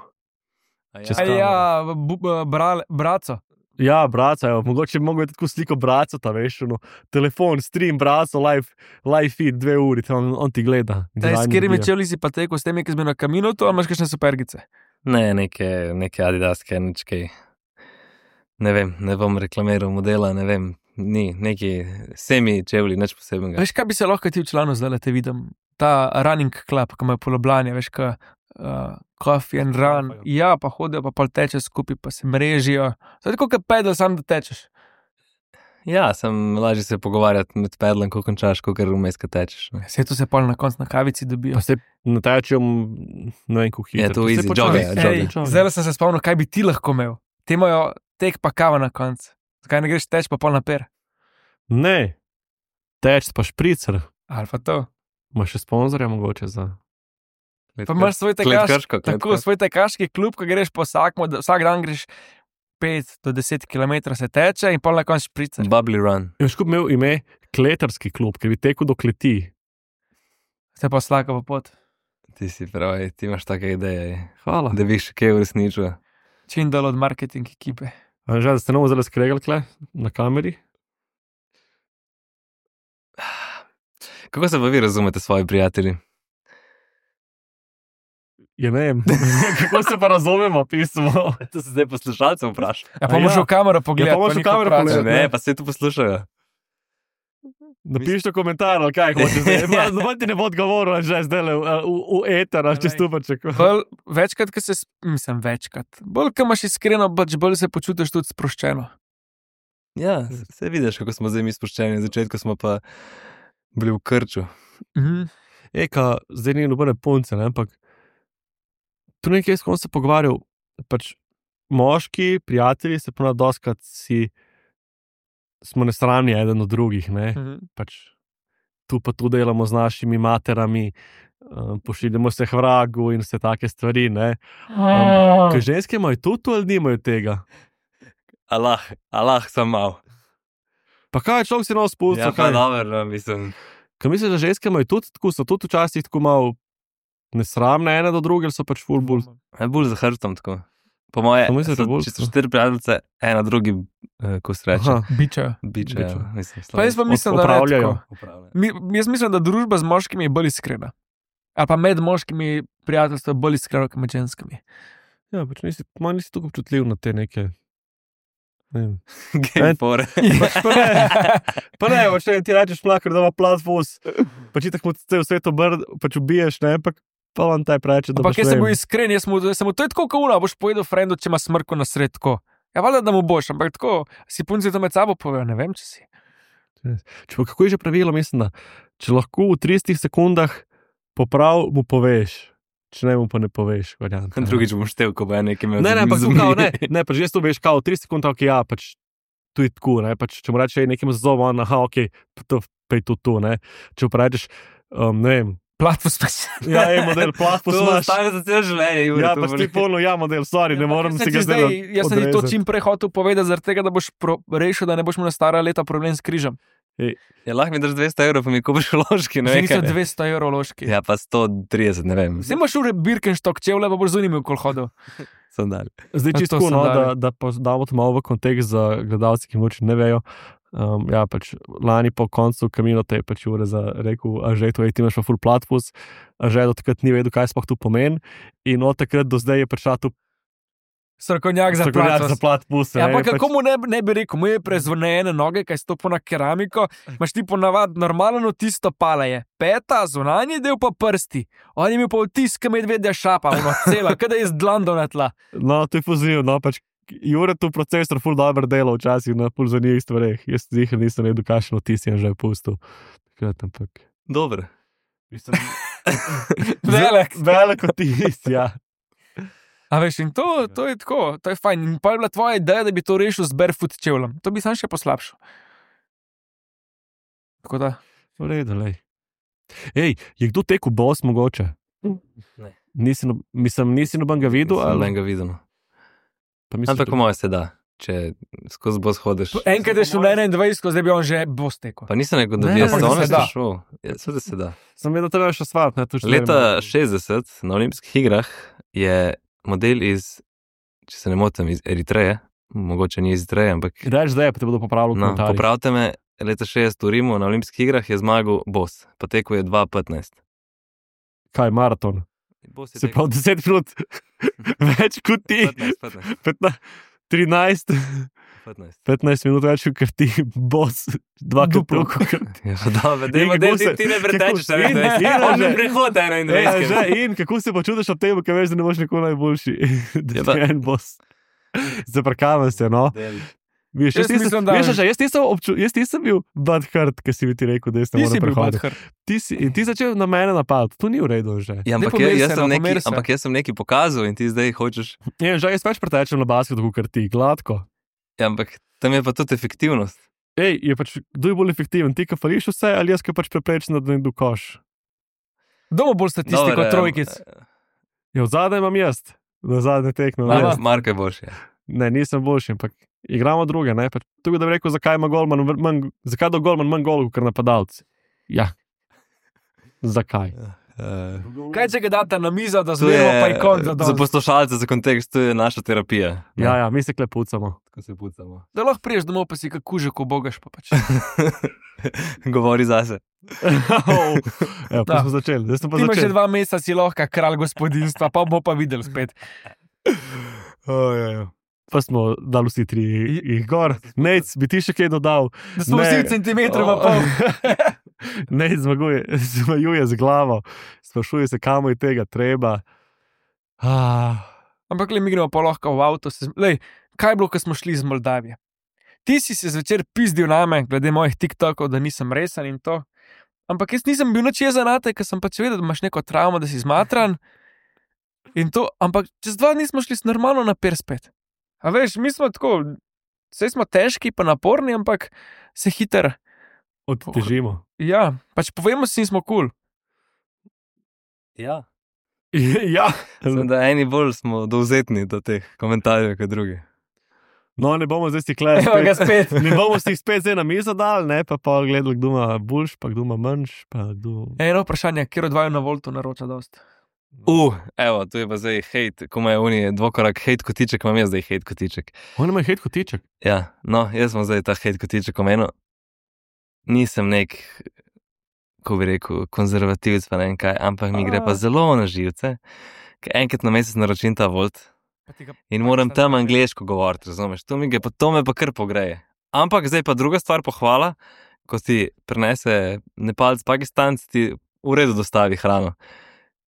Speaker 2: Čez
Speaker 4: A
Speaker 2: kamero.
Speaker 4: ja, bu, bu, brale, braco.
Speaker 2: Ja, braca, jo, mogoče bi mogel tako sliko braca, ta veš, no, telefon, stream, braco, live, live feed, dve uri, on, on ti gleda.
Speaker 4: Daj, s katerimi čevlji si pa tekel, s temi, ki smo na kaminutu, ali imaš kakšne supergice?
Speaker 1: Ne, neke, neke adidaske, nič kaj. Ne vem, ne bom reklamiral modela, ne vem, ni, neki semi čevlji, nič posebnega.
Speaker 4: Veš, kaj bi se lahko ti v članu zdaj, da te vidim? Ta running club, ki ima poloblanje, veš, kaj uh, coffee and run. Ja, pa hodijo, pa pol teče skupaj, pa se mrežijo. To je tako, kot pedal, sam da tečeš.
Speaker 1: Ja, sem lažje se pogovarjati med pedlom, ko končaš, ko kar vmes, ko tečeš. Ne.
Speaker 4: Vse to se pol na koncu na kavici dobijo.
Speaker 2: Pa se natečem, ne vem, kako hitro.
Speaker 1: Je to
Speaker 2: Pa se
Speaker 1: easy,
Speaker 2: počasi-
Speaker 1: jogge,
Speaker 2: Ej,
Speaker 1: jogge.
Speaker 2: jogge.
Speaker 4: Zdaj sem se spomnil, kaj bi ti lahko imel. Ti imajo tek pa kava na koncu. Zakaj ne greš teč pa pol na per?
Speaker 2: Ne, teč pa špricer,
Speaker 4: Ali pa to.
Speaker 2: imaš še sponzorja mogoče za...
Speaker 4: Pa imaš svoj
Speaker 1: Klet
Speaker 4: tekaš,
Speaker 1: Krško, Klet
Speaker 4: tako,
Speaker 1: Krško.
Speaker 4: svoj tekaški klub, ko greš po vsakmu, da vsak dan greš pet do deset kilometrov se teče in pol na koncu špricer.
Speaker 1: Bubbly run.
Speaker 2: Je škup imel ime kletarski klub, ki bi tekel do kleti.
Speaker 4: Se pa slaka po pot.
Speaker 1: Ti si pravi, ti imaš take ideje,
Speaker 2: Hvala.
Speaker 1: da bi še kaj uresničil.
Speaker 4: Čim dol od marketing ekipe.
Speaker 2: A že, da ste novo zelo skregali kle na kameri?
Speaker 1: Kako se pa vi razumete, svoji prijatelji?
Speaker 2: Ja, ne vem, kako se pa razumemo, pismo.
Speaker 1: To se zdaj poslušalcev vpraša.
Speaker 4: Ja, pa
Speaker 2: A
Speaker 4: moraš
Speaker 2: ja.
Speaker 4: v kamero pogledati.
Speaker 2: Ja, pa moraš v
Speaker 4: njih
Speaker 2: kamero
Speaker 4: vprašati.
Speaker 2: pogledati.
Speaker 1: Ne, pa se tu poslušajo.
Speaker 2: Napišite komentar, ali kaj hočeš zdaj. Ma, Noben ti ne bo odgovoril, že zdaj v, v, v eter, ali čez stupaček.
Speaker 4: Bolj, večkrat, ko se, s- mislim, večkrat. Bolj, ko imaš iskreno, pač bolj se počutiš tudi sproščeno.
Speaker 1: Ja, se vidiš, kako smo zdaj mi sproščeni. Na začetku smo pa bili v krču.
Speaker 4: Mhm.
Speaker 2: Eka, zdaj ni nobene punce, ne, ampak tu nekaj, s kom se pogovarjal, pač moški, prijatelji se ponad doskrat si, smo nesramni eden od drugih, ne,
Speaker 4: Mhm.
Speaker 2: pač tu pa tu delamo z našimi materami, um, pošiljamo se k vragu in vse take stvari, ne. Um, Kaj ženske imajo tudi to ali nimajo tega?
Speaker 1: Allah, Allah sem mal.
Speaker 2: Pa kaj, človek si nov spustil,
Speaker 1: Ja, pa
Speaker 2: kaj?
Speaker 1: dobro, no, mislim.
Speaker 2: Kaj misliš, da ženske imajo tudi tako, so tudi včasih tako malo nesramne ene do druge, ali so pač full bull?
Speaker 1: Je bolj za hrbtom tako. Po moje,
Speaker 2: To mislite,
Speaker 1: so-
Speaker 2: bolj
Speaker 1: če so
Speaker 2: tako?
Speaker 1: štiri prijateljice, ena drugi, eh, ko se reče,
Speaker 2: Aha.
Speaker 4: Bičajo.
Speaker 1: biče,
Speaker 2: bičejo.
Speaker 1: ja, mislim,
Speaker 4: Pa jaz pa mislim, da ne
Speaker 2: Opravljajo.
Speaker 4: tako.
Speaker 1: Upravlja.
Speaker 4: Mi, jaz mislim, da družba z moškimi je bolj iskrena. Ali pa med moškimi prijateljstvo je bolj iskreno kot med ženskami.
Speaker 2: Ja, pač nisi, malo nisi tako občutljiv na te neke. Ne vem.
Speaker 1: Game fore.
Speaker 2: Pač pa ne, pa ne, pač ne, ti rečeš mlakar, da ima plat vos, pač ti tako cel svet obr, pač ubiješ, ne, pa, pa vam taj preče, da
Speaker 4: Ampak
Speaker 2: boš
Speaker 4: jaz sem
Speaker 2: ne
Speaker 4: bil
Speaker 2: vem.
Speaker 4: iskren, jaz mu, jaz sem mu to je tako kauna, boš povedal frendu, če ima smrko na sred tako. Ja, valjda, da mu boš, ampak tako, si punci to med sabo povejo, ne vem, če si.
Speaker 2: Če pa kako je že pravilo, mislim, da če lahko v tridesetih sekundah poprav, mu poveš, če ne mu pa ne poveš. Varianta, ne.
Speaker 1: Drugič bom štev, ko bo en nekaj imel.
Speaker 2: Ne, ne,
Speaker 1: z-
Speaker 2: ampak
Speaker 1: z-
Speaker 2: tu kao, ne, ne, pač jaz to veš, kao, tri sekunde, ok, ja, pač tu je tako, ne, pač če mu reče nekim zazov, on, aha, ok, pa to, pa je to tu, ne, če pa rečeš, um, ne vem,
Speaker 4: Platvo spes.
Speaker 2: ja, je model, plah
Speaker 1: To
Speaker 2: posmaš,
Speaker 1: ostane za celo življenje, Jure.
Speaker 2: ja,
Speaker 1: to
Speaker 2: pač
Speaker 1: bo
Speaker 2: ti
Speaker 1: nekaj-
Speaker 2: polno, ja, model, sorry, ne morem si ga
Speaker 4: zdaj,
Speaker 2: zdaj
Speaker 4: jaz sem ti to
Speaker 2: odrezati.
Speaker 4: čim prej hotel povedati, zaradi tega, da boš pro, rešil, da ne boš imel na stara leta problem s križem.
Speaker 1: Ja, lahko mi daš dvesto evrov, pa mi kupiš ložki, ne
Speaker 4: Že
Speaker 1: vem.
Speaker 4: niso
Speaker 1: kaj.
Speaker 4: dvesto evrov loški.
Speaker 1: Ja, pa sto trideset, ne vem.
Speaker 4: Zdaj imaš ure Birkenstock čevlje, pa boš zunimil, kol hodil.
Speaker 1: Sandali.
Speaker 2: Zdaj
Speaker 4: Ja,
Speaker 2: čisto,
Speaker 4: to sem
Speaker 2: no, da,
Speaker 4: dal.
Speaker 2: da pa damo to malo v kontekst za gledalce, ki moče ne vejo. Um, ja, pač lani po koncu kamino te je pač ure za rekel, a že to je, ti imaš pa full platfus, a že do takrat ni vedel, kaj sploh tu pomeni. In od takrat do zdaj je prišla tu
Speaker 4: Strokovnjak za
Speaker 2: strokovnjak za
Speaker 4: platvo.
Speaker 2: platfus.
Speaker 4: Ja, pa kako mu ne, ne bi rekel, mu je prezvonjene noge, kaj stopo na keramiko, imaš ti ponavadi normalno tisto pala je, peta, zunanji del pa prsti. On je imel pa vtis, ki medvedja šapa, ono cela, kada je z dlando na tla.
Speaker 2: No, to je poziv, no, pač Jure tu procesor ful dobro dela včasih na ful zanimivih stvareh. Jaz zihar nisem vedel, kakšno vtis je že pustil. Takrat, ampak...
Speaker 1: Dobro.
Speaker 2: Mislim,
Speaker 4: Velik.
Speaker 2: Velik vtis, ja.
Speaker 4: A veš, in to, to je tako, to je fajn. In pa je bila tvoja ideja, da bi to rešil z barefoot čevljem. To bi sam še poslabšal. Tako da.
Speaker 2: V redu, lej. Ej, je kdo tekel bos mogoče? Nisi, no, mislim, nisi noben ga videl?
Speaker 1: Sem
Speaker 2: Ali?
Speaker 1: ga videl. No.
Speaker 2: Pa misliš,
Speaker 1: Ampak
Speaker 2: da-
Speaker 1: po mojem se da, če skozi bos hodiš.
Speaker 4: Enkrat je šel na enaindvajset, zdaj bi on že bos tekel.
Speaker 1: Pa nisem rekel, da
Speaker 2: Ne,
Speaker 1: bi jaz
Speaker 2: ampak
Speaker 1: za
Speaker 4: se
Speaker 1: one
Speaker 4: da.
Speaker 1: šel. Ja, seveda se da.
Speaker 2: Sem vedel, da je še svat. Ne, tu še
Speaker 1: Leta
Speaker 2: ne vem.
Speaker 1: šestdeset na olimpijskih igrah je model iz, če se ne motim, iz Eritreje, mogoče ni iz Eritreje, ampak
Speaker 2: Reč, da je, pa te bodo popravili v
Speaker 1: no,
Speaker 2: komentarjih.
Speaker 1: popravite me, leta šestdeset v Rimu na olimpijskih igrah je zmagal Bos, pa tekel je dva petnajst.
Speaker 2: Kaj, maraton?
Speaker 1: Bos je
Speaker 2: Se
Speaker 1: tekel
Speaker 2: pravi deset minut več kot ti.
Speaker 1: petnajst, petnajst,
Speaker 2: petnajst, trinajst,
Speaker 1: petnajst.
Speaker 2: petnajst minut več kot ti, bos, dvakrat
Speaker 4: Duplo.
Speaker 2: toliko.
Speaker 1: Ja, dobro, dajmo,
Speaker 2: In
Speaker 1: daj,
Speaker 2: kako
Speaker 1: ti,
Speaker 2: se-
Speaker 1: ti ne pretečeš,
Speaker 2: kako-
Speaker 1: ne
Speaker 2: in-
Speaker 1: veš,
Speaker 2: in-
Speaker 1: on ne
Speaker 2: že-
Speaker 1: prehod
Speaker 2: Ja,
Speaker 1: enaindvajset.
Speaker 2: že, in kako se počutiš ob tem, ker veš, da ne boš nikoli najboljši. Da
Speaker 1: Ja,
Speaker 2: ti
Speaker 1: pa-
Speaker 2: je en bos. Zaprkavam se, no. Viš, jaz,
Speaker 4: Jaz
Speaker 2: nisem,
Speaker 4: mislim, da-
Speaker 2: veš, že, jaz, nisem obču, jaz nisem bil bad hurt, ki si mi ti rekel, da jaz ne
Speaker 4: Ti si
Speaker 2: morem
Speaker 4: bil
Speaker 2: prehoditi.
Speaker 4: badhar.
Speaker 2: Ti si, in ti začel na mene napad, to ni v redu že.
Speaker 1: Ja, ampak,
Speaker 4: pomiri
Speaker 1: jaz,
Speaker 4: se,
Speaker 1: jaz
Speaker 4: no,
Speaker 1: sem
Speaker 4: pomiri
Speaker 1: neki,
Speaker 4: se.
Speaker 1: ampak jaz sem nekaj pokazal in ti zdaj hočeš.
Speaker 2: Ja, že jaz več pretečem na basketu, kot ti, gladko.
Speaker 1: Ja, ampak tam je pa tudi efektivnost.
Speaker 2: Ej, je pač, kdo je bolj efektiven, ti, ki fališ vse, ali jaz, ki pač preprečem, da ne do koš.
Speaker 4: Domo bolj statistiko
Speaker 1: Dobre,
Speaker 4: trojkic.
Speaker 2: Ja, v zadnjem imam jaz, na zadnje tekme. imam
Speaker 4: Aha.
Speaker 2: jaz.
Speaker 1: Marko je boljši.
Speaker 2: Ne, nisem boljši, ampak igramo druge. Ne? Pač, tukaj da bi rekel, zakaj ima golman, vr- manj, zakaj do golman manj golov, kot napadalci. Ja. Zakaj?
Speaker 1: Uh,
Speaker 4: Kaj če ga date na mizo, da
Speaker 1: to
Speaker 4: zmerimo pa
Speaker 1: je
Speaker 4: ikon za
Speaker 1: za
Speaker 4: dol.
Speaker 1: poslušalce, za kontekst, to je naša terapija.
Speaker 2: Ja, ja, mi se klepucamo.
Speaker 1: Tako se pucamo.
Speaker 4: Da lahko priješ domov, pa si kako kužek obogaš pa pač.
Speaker 1: Govori zase.
Speaker 2: Evo, pa
Speaker 4: Da.
Speaker 2: smo začeli. Zdaj smo pa
Speaker 4: Ti imaš že
Speaker 2: začeli.
Speaker 4: dva meseca, si lahko kralj gospodinstva, pa bomo pa videli spet.
Speaker 2: Oh, ja, ja. Pa smo dali vsi tri jih gor. Nec, bi ti še kaj dodal?
Speaker 4: Da smo
Speaker 2: Ne.
Speaker 4: vsi centimetrov pa
Speaker 2: Oh.
Speaker 4: pol.
Speaker 2: Nec zmaguje, zmajuje z glavo, sprašuje se, kam je tega treba. Ah.
Speaker 4: Ampak le mi gremo pa lahko v avto. Se, lej, kaj je bilo, ko smo šli iz Moldavije? Ti si se zvečer pizdil name, glede mojih TikTokov, da nisem resen in to. Ampak jaz nisem bil nič jezen na te, ker sem pač vedel, da imaš neko travmo, da si zmatran. In to, ampak čez dva dni smo šli normalno na per spet. A veš, mi smo tako, vse smo težki pa naporni, ampak se hiter.
Speaker 2: Odtežimo.
Speaker 4: Ja, pač povemo si in smo kul. Cool.
Speaker 1: Ja.
Speaker 2: ja.
Speaker 1: Sem, da eni bolj smo dovzetni do teh komentarjev kot drugi.
Speaker 2: No, ne bomo zdaj stikle.
Speaker 4: Evo ga spet.
Speaker 2: Ne bomo si jih spet zdaj na mizo dali, ne pa pa gledali, kdo ima boljš, pa kdo ima manjš. Pa kdo...
Speaker 4: Eno vprašanje, kjer odvajo na voltu naroča dost.
Speaker 1: Uh, evo, tu je pa zdaj hejt, ko ima Unije dvokorak hejt kotiček, imam jaz zdaj hejt kotiček.
Speaker 2: On ima hejt kotiček.
Speaker 1: Ja, no, jaz sem zdaj ta hejt kotiček omenil. Nisem nek, ko bi rekel, konzervativec, pa ne vem kaj, ampak mi gre pa zelo na živce, ker enkrat na mesec naročim ta volt in moram tam angleško govoriti, razumeš? To mi gre, pa to me pa kar pogreje. Ampak zdaj pa druga stvar, pohvala, ko ti prinese Nepalc, Pakistanc, ti v redu dostavi hrano.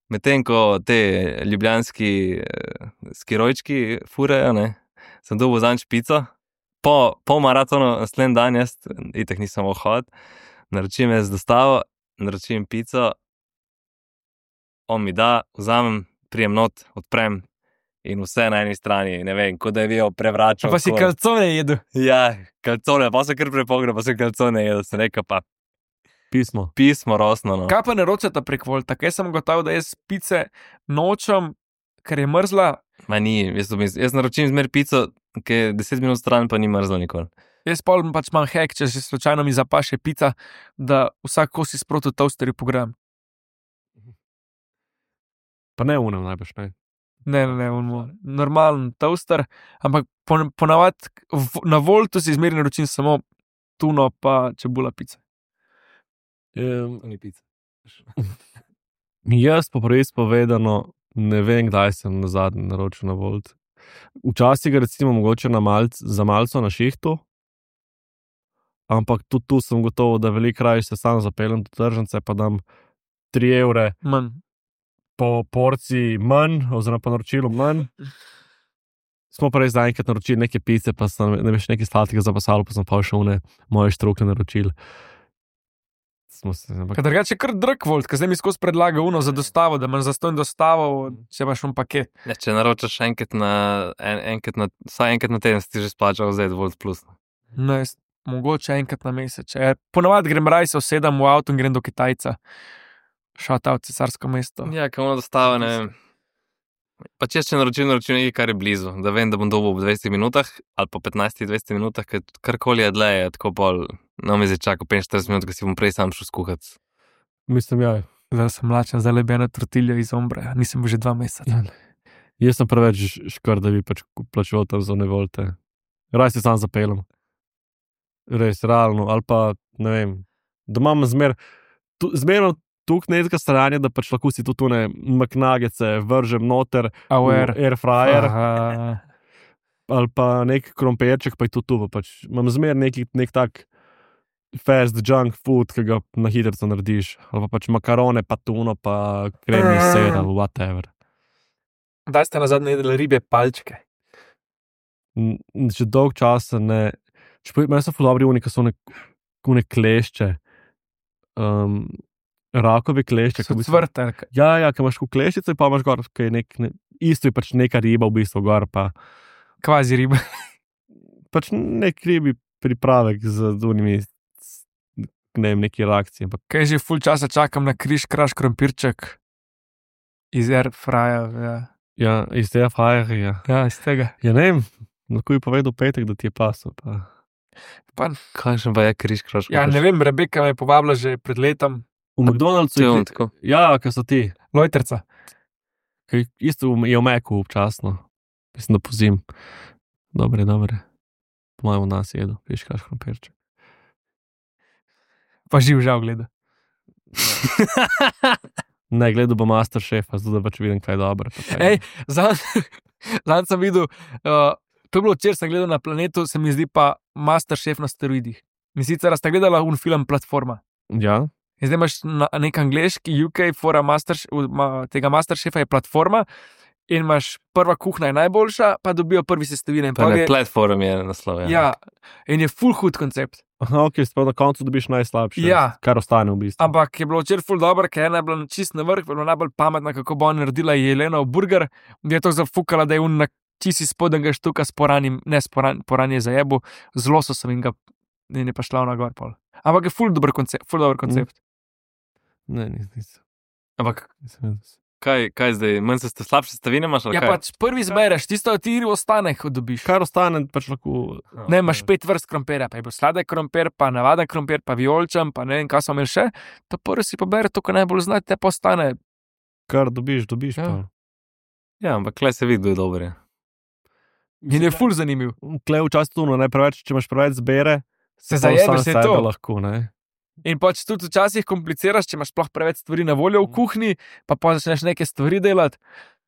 Speaker 1: Medtem ko te ljubljanski eh, skirojčki furejo, ne, sem dobil zanj špico. Po, po maratonu, naslednji dan, jaz itek nisem mogel hoditi, naročim jaz dostavo, naročim pico, on mi da, vzamem, prijem not, odprem in vse na eni strani, ne vem, kot da je bil prevračal.
Speaker 4: Pa si
Speaker 1: ko-
Speaker 4: kalcone jedu.
Speaker 1: Ja, kalcone, pa se kar prepogre, pa se kalcone jedel, sem rekel pa
Speaker 2: Pismo.
Speaker 1: pismo rosno. No.
Speaker 4: Kaj pa naročata prek volta? Kaj sem gotovo, da jaz pice nočem, ker je mrzla.
Speaker 1: Ma ni, jaz, to mislim, jaz naročim zmer pico, ki je deset minut stran, pa ni mrzla nikoli.
Speaker 4: Jaz pol pač imam hek, če se slučajno mi zapaše pica, da vsak kos izproti v toasterju pogram.
Speaker 2: Pa ne unem najbrž, ne.
Speaker 4: Ne, ne, ne, on, normalen toaster, ampak pon- ponavadi v- na voltu si izmeri naročim samo tuno pa čebula pice.
Speaker 2: Um,
Speaker 1: Ni pica.
Speaker 2: jaz pa res povedano, ne vem, kdaj sem na zadnji naročil na volt. Včasih ga recimo mogoče na malc, za malco na šihtu, ampak tudi tu sem gotovo, da veliko raje se sam zapeljem do tržnice, pa dam tri evre
Speaker 4: Manj.
Speaker 2: po porciji manj, oziroma po naročilu manj. Smo pa res zaenkrat naročili neke pice, pa sem ne veš nekaj sladkega zapasalo, pa sem pa še one moje štrukle naročil. Smo se, ampak,
Speaker 4: Ker drugače je kar drag volt, ker zdaj mi skozi predlaga uno za dostavo, da imaš za stojno dostavo, če imaš un paket.
Speaker 1: Ja, če naročaš enkrat na, en, enkrat na, vsaj enkrat na teden, si ti že splačal zdaj Volt Plus.
Speaker 4: No, jaz, mogoče enkrat na mesec. Če, ponavadi grem raj se usedem v avto in grem do Kitajca. Šat out cesarsko mesto.
Speaker 1: Ja, ko ono dostava, ne vem, Pa če še naročim, naročim nekaj, kar je blizu, da vem, da bom dobil v dvajsetih minutah ali pa petnajstih dvajsetih minutah, ker karkoli je dlje, je tako pol, no mi zdaj čakal petinštirideset minut, ker si bom prej sam šel skuhati.
Speaker 2: Mislim, ja.
Speaker 4: Zdaj sem mlačen, zdaj le bi ena tortilja iz ombre, nisem bil že dva meseca.
Speaker 2: Jaz sem preveč škar, da bi pač plačeval tam za nevolte. Raj se sam zapeljem. Res, realno, ali pa, ne vem, da imam zmer, tu, zmerno tukaj nekaj stranja, da pač lahko si tu tune McNuggetse vržem noter
Speaker 4: Aware.
Speaker 2: v air fryer,
Speaker 4: Aha.
Speaker 2: ali pa nek krompirček, pa je tu tu, pač imam zmer neki, nek tak fast junk food, ki ga na hitrico narediš, ali pa pač makarone, pa tuno, pa kremni sir, ali whatever.
Speaker 4: Kdaj ste nazadnje jedli ribje palčke?
Speaker 2: N- Že dolg časa ne, čeprav meni so ful dobri oni, ki so one, one klešče, um, rakovi klešče.
Speaker 4: So
Speaker 2: ki v bistvu-
Speaker 4: cvrte. ali kaj?
Speaker 2: Ja, ja, ki imaš v klešico, pa imaš gor, ki je nek, ne, isto je pač neka riba v bistvu gor, pa
Speaker 4: Kvazi ribe.
Speaker 2: pač nek ribi pripravek z unimi, ne vem, neki reakcije. Ampak
Speaker 4: Kaj že ful časa čakam na križ, kraš krompirček iz air frya. Ja,
Speaker 2: ja, iz tega fajer, ja.
Speaker 4: ja iz tega.
Speaker 2: Ja, ne vem, lahko bi povedal petek, da ti je pasel, pa
Speaker 4: Pa,
Speaker 1: Kakšen pa je križ kraš?
Speaker 4: ja, ne vem, Rebeka me je povabila že pred letom.
Speaker 2: v McDonald'su
Speaker 1: Če
Speaker 2: je,
Speaker 1: on tako.
Speaker 2: ja, ki so ti,
Speaker 4: Lojterca.
Speaker 2: ki isto je v Meku občasno, mislim, da pozim. Dobre, dobre. Po mojem nas jedo, veš, kaš krompirček.
Speaker 4: Pa živ žal gleda.
Speaker 2: Ne, gledal bom Masterchef, zato da pač vidim, kaj je dobro. pa kaj
Speaker 4: Ej,
Speaker 2: ne.
Speaker 4: Zadnjič sem videl, uh, to je bilo včeraj, sem gledal na planetu, se mi zdi pa Masterchef na steroidih. In sicer ste gledali un film Platforma.
Speaker 2: Ja,
Speaker 4: In zdaj imaš na, nek angliški U K, fora master, ma, tega Masterchefa je Platforma. In imaš prva kuhna je najboljša, pa dobijo prvi sestavine. in
Speaker 1: Pa
Speaker 4: pol
Speaker 1: ne,
Speaker 4: je-
Speaker 1: platform je naslov.
Speaker 4: Ja, in je full hud koncept.
Speaker 2: aha, ok, sploh na koncu dobiš najslabše,
Speaker 4: Ja.
Speaker 2: kar ostane v bistvu.
Speaker 4: Ampak je bilo včeraj full dobro, ker je ena bila čist na vrh, bila najbolj pametna, kako bo ona naredila Jelena v burger. Je to zafukala, da je un na čisi spodnjega štuka s poranim, ne s poran, poranje za jebu, z lososom in ga in je pa šla na gor pol. Ampak je full dober koncept, full dober koncept.
Speaker 2: Ne, nis, nis,
Speaker 1: Ampak
Speaker 2: nisem vedel.
Speaker 1: kaj, kaj zdaj, manj se slabše sestavine imaš? ali
Speaker 4: Ja,
Speaker 1: kaj?
Speaker 4: pač prvi zbereš, tisto ti ostane, ko dobiš.
Speaker 2: Kar ostane, pač lahko.
Speaker 4: Ne, imaš pet vrst krompirja, pa je bil sladek krompir, pa navaden krompir, pa vijolčen, pa ne vem, kaj so imeli še. To prvi si pobere to, kar najbolj znaš, te pa ostane.
Speaker 2: Kar dobiš, dobiš.
Speaker 4: Ja.
Speaker 2: Ja.
Speaker 1: Ja, ampak klej se vidi, kdo je dober. Je.
Speaker 4: In je ful zanimiv.
Speaker 2: Klej včasih tuno, ne preveč, če imaš preveč zbere,
Speaker 4: Se
Speaker 2: pa
Speaker 4: zajebe
Speaker 2: sam
Speaker 4: se
Speaker 2: sebe
Speaker 4: to.
Speaker 2: lahko, ne.
Speaker 4: In pač tudi včasih kompliciraš, če imaš sploh preveč stvari na voljo v kuhinji, pa pa začneš neke stvari delati.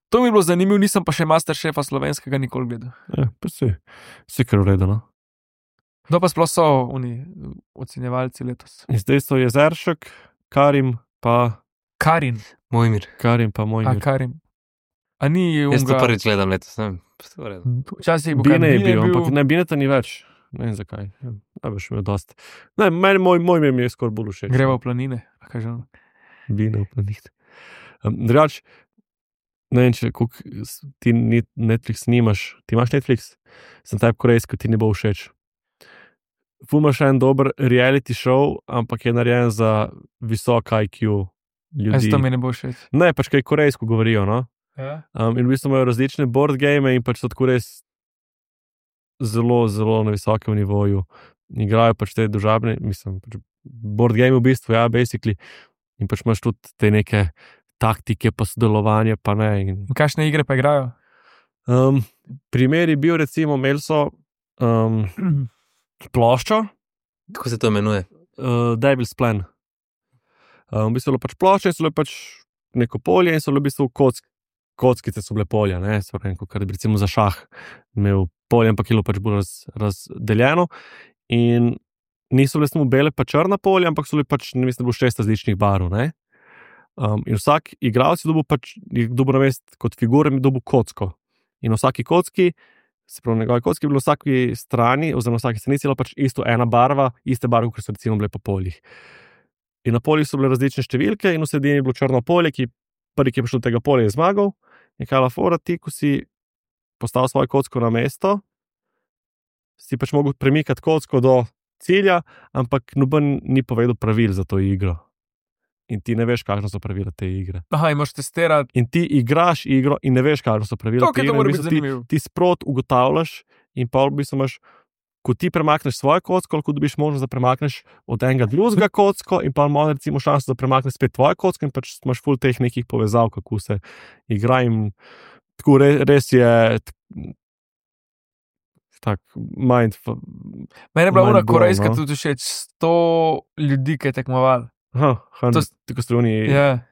Speaker 4: To mi je bilo zanimivo, nisem pa še Masterchefa slovenskega nikoli gledal.
Speaker 2: Ja, pa si, si kar uredeno.
Speaker 4: Kdo pa sploh so oni ocenjevalci letos?
Speaker 2: In zdaj so Jezeršek, Karim, pa
Speaker 4: Karin,
Speaker 1: Mojmir.
Speaker 2: Karim, pa moj.
Speaker 4: a Karim. A ni
Speaker 1: Jaz to
Speaker 4: unga.
Speaker 1: prvič gledam letos, ne vem. vse v redu.
Speaker 4: Včasih je bil
Speaker 2: Bine je
Speaker 4: Bine
Speaker 2: bil, ampak ne, Bineta ni več. Ne vem zakaj. Ja, najbrž imel dosti. Ne, meni moj, moj mi je skoraj bolj všeč.
Speaker 4: Greva v planine. a kaj že ono?
Speaker 2: Bine v planih. Um, Drugač, ne vem, če koliko s- ti ni- Netflix nimaš. Ti imaš Netflix? Sem taj korejski, ti ne bo všeč. Ful imaš en dober reality show, ampak je narejen za visok I Q
Speaker 4: Jaz
Speaker 2: ljudi.
Speaker 4: to mi ne bo všeč.
Speaker 2: Ne, pač kaj korejsko govorijo, no?
Speaker 4: Ja?
Speaker 2: Um, in v bistvu imajo različne board game in pač so tako res zelo, zelo na visokem nivoju. Igrajo pač te družabne, mislim, pač board game v bistvu, ja, basically. In pač imaš tudi te neke taktike, pa sodelovanje, pa ne. In,
Speaker 4: In kakšne igre pa igrajo?
Speaker 2: um, primer je bil, recimo, imeli so um, ploščo,
Speaker 1: Kako se to imenuje?
Speaker 2: uh, Devil's Plan. Um, v bistvu je bilo pač plošče in so bile pač neko polje in so bile v bistvu kock, kockice so bile polja, ne, so rekli, kar bi recimo za šah imel polje, ampak je bilo pač bolj raz, razdeljeno in niso bile samo bele pa črna polja, ampak so bile pač, ne mislim, da bo šest različnih barv, ne. Um, in vsak igralec je dobil pač, je dobil na mest kot figure, je dobil kocko. In na vsaki kocki, se pravi, na njegovi kocki je bilo na vsaki strani, oziroma na vsaki stranici je bila pač isto ena barva, iste barve, kot so recimo bile po poljih. In na poljih so bile različne številke, in v sredini je bilo črno polje, ki prvi, ki je prišel do tega polja, je zmagal. In kaj la fora, ti, ko si postavil svojo kocko na mesto, si pač mogel premikati kocko do cilja, ampak noben ni povedal pravil za to igro. in ti ne veš, kakšne so pravila te igre.
Speaker 4: Aha, in moraš testirati.
Speaker 2: In ti igraš igro in ne veš, kakšne so pravila
Speaker 4: To,
Speaker 2: te
Speaker 4: ki to
Speaker 2: igre.
Speaker 4: mora
Speaker 2: in v
Speaker 4: biti
Speaker 2: bistvu ti,
Speaker 4: zanimivo.
Speaker 2: ti sprot ugotavljaš in pa v bistvu imaš, ko ti premakneš svojo kocko, koliko dobiš možnost, da premakneš od enega drugega kocko in pa imaš recimo šanso, da premakneš spet tvojo kocko in pač imaš ful teh nekih povezav, kako se igra in tako res, res je tak mind.
Speaker 4: Meni je bila
Speaker 2: Mind
Speaker 4: ona
Speaker 2: blown,
Speaker 4: korejska
Speaker 2: no.
Speaker 4: tudi všeč, sto ljudi, ki je tekmoval.
Speaker 2: Aha,
Speaker 4: To s-
Speaker 2: tako struni.
Speaker 4: Ja.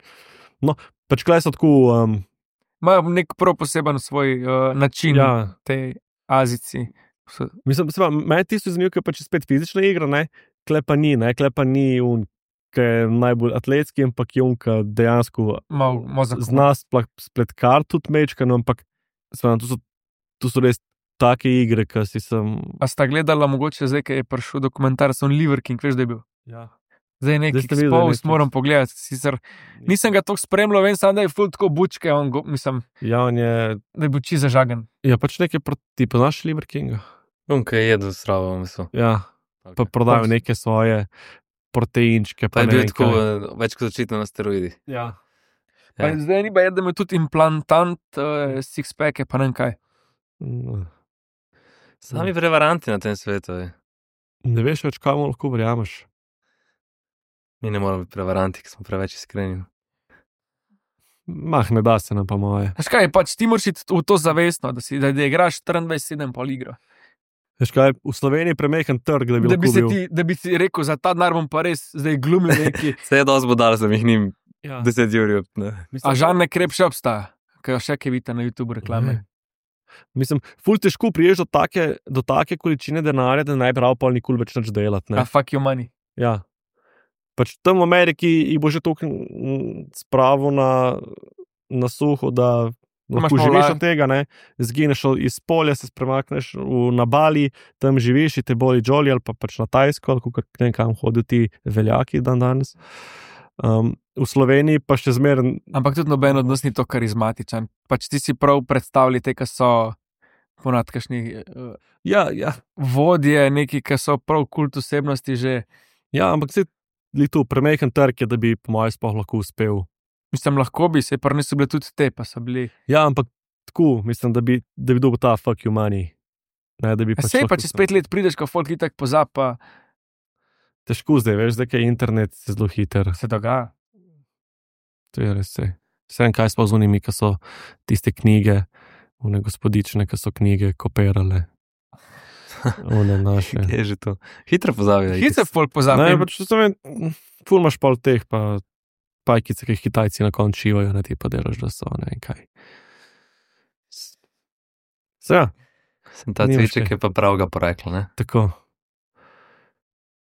Speaker 2: Pač klej so tako, um,
Speaker 4: Imajo nek prav poseben svoj uh, način,
Speaker 2: ja,
Speaker 4: te Azici. So-
Speaker 2: mislim, seba, meni je tisto zanimivo, ker pač je spet fizična igra, ne, klej pa ni, ne, klej pa ni un, ki je najbolj atletski, ampak je un, ki dejansko
Speaker 4: Mal mozak.
Speaker 2: zna spla- spletkar tudi mečkano, ampak seba, to, so, to so res take igre, ki si sem.
Speaker 4: A sta gledala mogoče zdaj, ki je prišel dokumentarc o Liver King, veš, da je bil.
Speaker 2: Ja.
Speaker 4: Zdaj neki
Speaker 2: ste videli
Speaker 4: exposed,
Speaker 2: Netflix?
Speaker 4: moram pogledati. Sicer nisem ga toliko spremljal, vem samo, da je ful tako bučke, on go, mislim,
Speaker 2: Ja, on je,
Speaker 4: da je bil čisto zažagan.
Speaker 2: ja, pač nekaj proti, poznaš Liver Kinga.
Speaker 1: Unka je jedel sravo, mislim.
Speaker 2: Ja, pa prodajo neke svoje proteinčke.
Speaker 1: Pa je
Speaker 2: ne
Speaker 1: bil
Speaker 2: vem
Speaker 1: tako
Speaker 2: kaj.
Speaker 1: eh, več kot očitno na steroidih.
Speaker 2: Ja.
Speaker 4: Pa
Speaker 1: Ja.
Speaker 4: zdaj ni pa je, da ima tudi implantant, uh, six-pack, pa ne vem kaj.
Speaker 2: Mm.
Speaker 1: Sami prevaranti na tem svetu. Je.
Speaker 2: Ne veš več, kam lahko verjameš.
Speaker 1: Mi ne moramo biti prevaranti, ker smo preveč iskreni.
Speaker 2: Mah, ne da se nam pa moje.
Speaker 4: Veš kaj, pač ti moraš iti v to zavestno, da, si, da, da igraš štiriindvajset sedem pol igro.
Speaker 2: Veš kaj, v Sloveniji je premehen trg, da bi,
Speaker 4: Da bi,
Speaker 2: lahko
Speaker 4: se
Speaker 2: bil.
Speaker 4: ti, da bi ti rekel, za ta denar bom pa res zdaj glumil neki.
Speaker 1: Vse je dosti bodal, sem jih njim
Speaker 2: Ja.
Speaker 1: deset jurjev.
Speaker 4: A Žan ne krep še obstaja, ki jo še kaj vidite na YouTube reklame.
Speaker 2: Mislim, ful težko priješ do take, do take količine denarja, da ne bi prav pol nikoli več nič delati.
Speaker 4: A
Speaker 2: Ne?
Speaker 4: fuck your money.
Speaker 2: Ja. Pač tam v Ameriki jih bo že toliko mm, spravo na, na suho, da
Speaker 4: Imaš
Speaker 2: lahko
Speaker 4: malo
Speaker 2: živiš
Speaker 4: laje.
Speaker 2: od tega, ne? Zgineš iz polja, se premakneš v, na Bali, tam živiš in te boli Jolly ali pa pač na Tajsko, ali kakor ne vem, kam hodijo ti veljaki dan danes. Um, v Sloveniji pa še zmeraj.
Speaker 4: Ampak tudi noben od nas ni to karizmatičen. Pač ti si prav predstavljali te, ki so ponad kakšni uh,
Speaker 2: Ja, ja,
Speaker 4: vodje, neki, ki so prav kult osebnosti že.
Speaker 2: ja, ampak se je tu premehen trg, je, da bi po mojem sploh lahko uspel.
Speaker 4: Mislim, lahko bi se, pa niso bile tudi te, pa so bili.
Speaker 2: Ja, ampak tako, mislim, da bi, da bi dobil ta fuck you money. Ne, da bi
Speaker 4: Pa
Speaker 2: pač
Speaker 4: sej pa
Speaker 2: lahko
Speaker 4: čez
Speaker 2: to-
Speaker 4: pet let prideš, ko folk itak pozapa,
Speaker 2: Težko zdaj, veš, da je internet zelo hiter.
Speaker 4: se dogaja.
Speaker 2: To je res. saj. Vsem, kaj smo z unimi, ki so tiste knjige, one gospodične, ki so knjige kopirale. One naše.
Speaker 1: Je že to. Hitro pozabijo.
Speaker 4: Hitro folk pozapa.
Speaker 2: Ne, pač to vem, ful imaš pol teh, pa pajkice, ki jih Kitajci na koncu šivajo, ne ti pa delaš, da so, ne vem kaj. Se, ja,
Speaker 1: Sem ta
Speaker 2: Nimaš
Speaker 1: cviček
Speaker 2: kaj.
Speaker 1: je pa pravega porekla, ne?
Speaker 2: tako.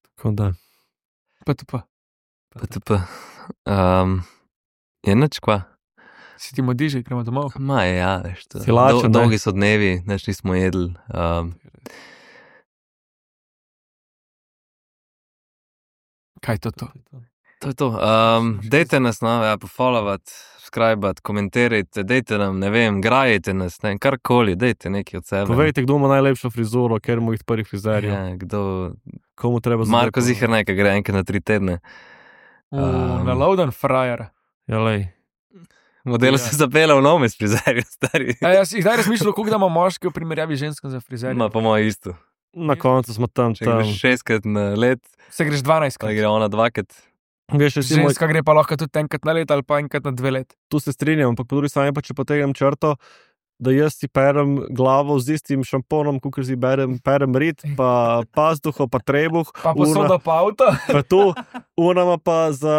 Speaker 2: Tako da.
Speaker 4: Pa to pa.
Speaker 1: P T P. Um, je nič kva.
Speaker 4: Si ti modiži, gremo domov.
Speaker 1: Ma je, ja, veš. to-
Speaker 2: Si lačen,
Speaker 1: dol-
Speaker 2: ne?
Speaker 1: Dolgi so dnevi, nič nismo jedli. Um,
Speaker 4: Kaj je to? to?
Speaker 1: to je to. Um, dejte nas, no, ja, pofollowati, subscribati, komentirajte, dejte nam, ne vem, grajte nas, ne vem, karkoli, dejte nekaj od sebe.
Speaker 2: Povejte, kdo ima najlepšo frizuro, ker mu jih prvih frizerjev.
Speaker 1: Ja, kdo,
Speaker 2: Komu treba
Speaker 1: Marko
Speaker 2: zdaj-
Speaker 1: Zihar nekaj gre enkrat na tri tedne.
Speaker 4: Uh,
Speaker 1: Um,
Speaker 4: na Loudon Frajer.
Speaker 2: Ja, lej.
Speaker 1: Model
Speaker 2: Ja.
Speaker 1: se zapela v nome s frizerjem, stari.
Speaker 4: A jaz si kdaj razmišljal, koliko da ima moški v primerjavi z ženskim za frizerje?
Speaker 1: Ma po mojem isto.
Speaker 2: Na koncu smo tam,
Speaker 1: Če
Speaker 2: tam.
Speaker 1: greš šestkrat na let,
Speaker 4: Se greš dvanajst
Speaker 1: pa
Speaker 4: krat.
Speaker 1: gre ona dvakrat.
Speaker 2: Veš, recimo,
Speaker 4: Ženska gre pa lahko tudi enkrat na let ali pa enkrat na dve let.
Speaker 2: tu se strinjam, ampak po drugi strani pa če potegnem črto, da jaz si perem glavo z istim šamponom, kot si berem, perem rit, pa pazduho, pa trebuh,
Speaker 4: Pa posoda pa avto.
Speaker 2: pa tu, unama pa za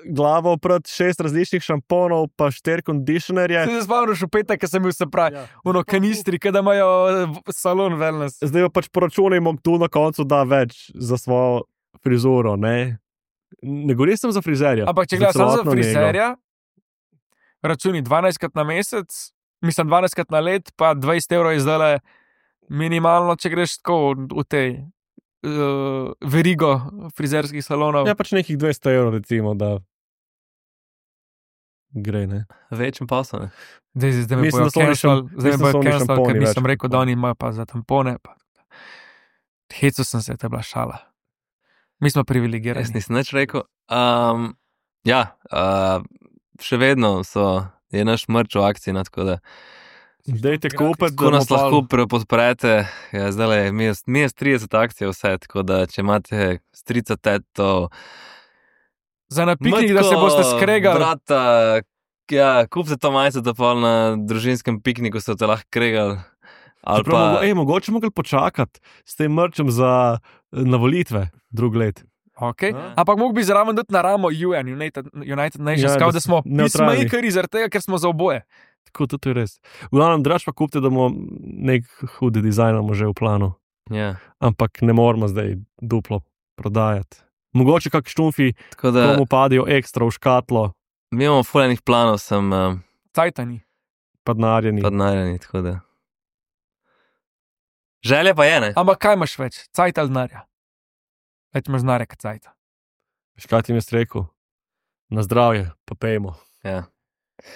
Speaker 2: glavo pred šest različnih šamponov, pa štiri kondicionerje.
Speaker 4: Se spomniš v petek, ko sem bil se pravi,
Speaker 2: Ja.
Speaker 4: ono kanistri, kada imajo eh, salon wellness.
Speaker 2: Zdaj pa pač poračunajmo, kdo na koncu da več za svojo frizuro. Ne, ne govorim sem za frizerja.
Speaker 4: Ampak če gledaš samo za
Speaker 2: celotno nego.
Speaker 4: frizerja, računi dvanajstkrat na mesec, mislim dvanajstkrat na let, pa dvajset evrov je zdaj minimalno, če greš tako v tej uh, verigo frizerskih salonov.
Speaker 2: Ja, pač nekih dvesto evrov, recimo, da gre. Ne?
Speaker 1: Večjem pasu, ne?
Speaker 4: Zdaj, zdaj, zdaj me
Speaker 2: Mislim,
Speaker 4: bojo
Speaker 2: da so oni
Speaker 4: cancel,
Speaker 2: šam-
Speaker 4: zdaj me
Speaker 2: mislim, da
Speaker 4: bojo
Speaker 2: so oni
Speaker 4: cancel, ker
Speaker 2: šamponi
Speaker 4: nisem
Speaker 2: več.
Speaker 4: rekel, da oni imajo pa za tampone. Pa. Hecu sem se, to je bila šala. Mi smo privilegirani.
Speaker 1: Jaz nisem nič rekel. Um, Ja, uh, še vedno so, je naš mrč v akciji, no, tako da
Speaker 2: Dajte kupiti,
Speaker 1: ko nas lahko pr- podprete, ja, zdaj mi je, mi je trideset akcij vse, tako da če imate strica, teto,
Speaker 4: Za na piknik, da se boste skregali.
Speaker 1: Brata, ja, kupite to majico, da pa na družinskem pikniku se te lahko kregali. Ali
Speaker 2: Pa...
Speaker 1: pa,
Speaker 2: Ej, mogoče mogli počakati s tem mrčem za na volitve drug let.
Speaker 4: Okay.
Speaker 2: A?
Speaker 4: Ampak mogo bi zraven dati na ramo U N, United, United Nations,
Speaker 2: Ja,
Speaker 4: ja, kao,
Speaker 2: da
Speaker 4: da smo
Speaker 2: nevtralni.
Speaker 4: peacemakeri zaradi tega, ker smo za oboje.
Speaker 2: Tako, to je res. V glavnem, draž pa kupite, da bomo nek hudi dizajn imamo že v planu.
Speaker 1: ja,
Speaker 2: Ampak ne moramo zdaj duplo prodajati. Mogoče kak štumfi,
Speaker 1: tako da
Speaker 2: komu padijo ekstra v škatlo,
Speaker 1: mi imamo fuljenih planov, sem uh,
Speaker 4: Cajtani.
Speaker 2: padnarjeni.
Speaker 1: podnarjeni, tako da. Želja pa je, ne?
Speaker 4: Ampak kaj imaš več? Cajt ali denarja? Več imaš denarja kot cajta.
Speaker 2: Veš, kaj ti mi je rekel? Na zdravje, pa pejmo.
Speaker 1: Ja,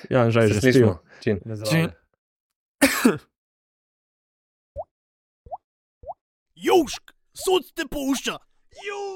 Speaker 2: Ja, že
Speaker 1: se
Speaker 2: že
Speaker 1: slišimo.
Speaker 2: spil.
Speaker 1: Čin.
Speaker 2: Na zdravje.
Speaker 3: Južk, sod te pušča. Južk.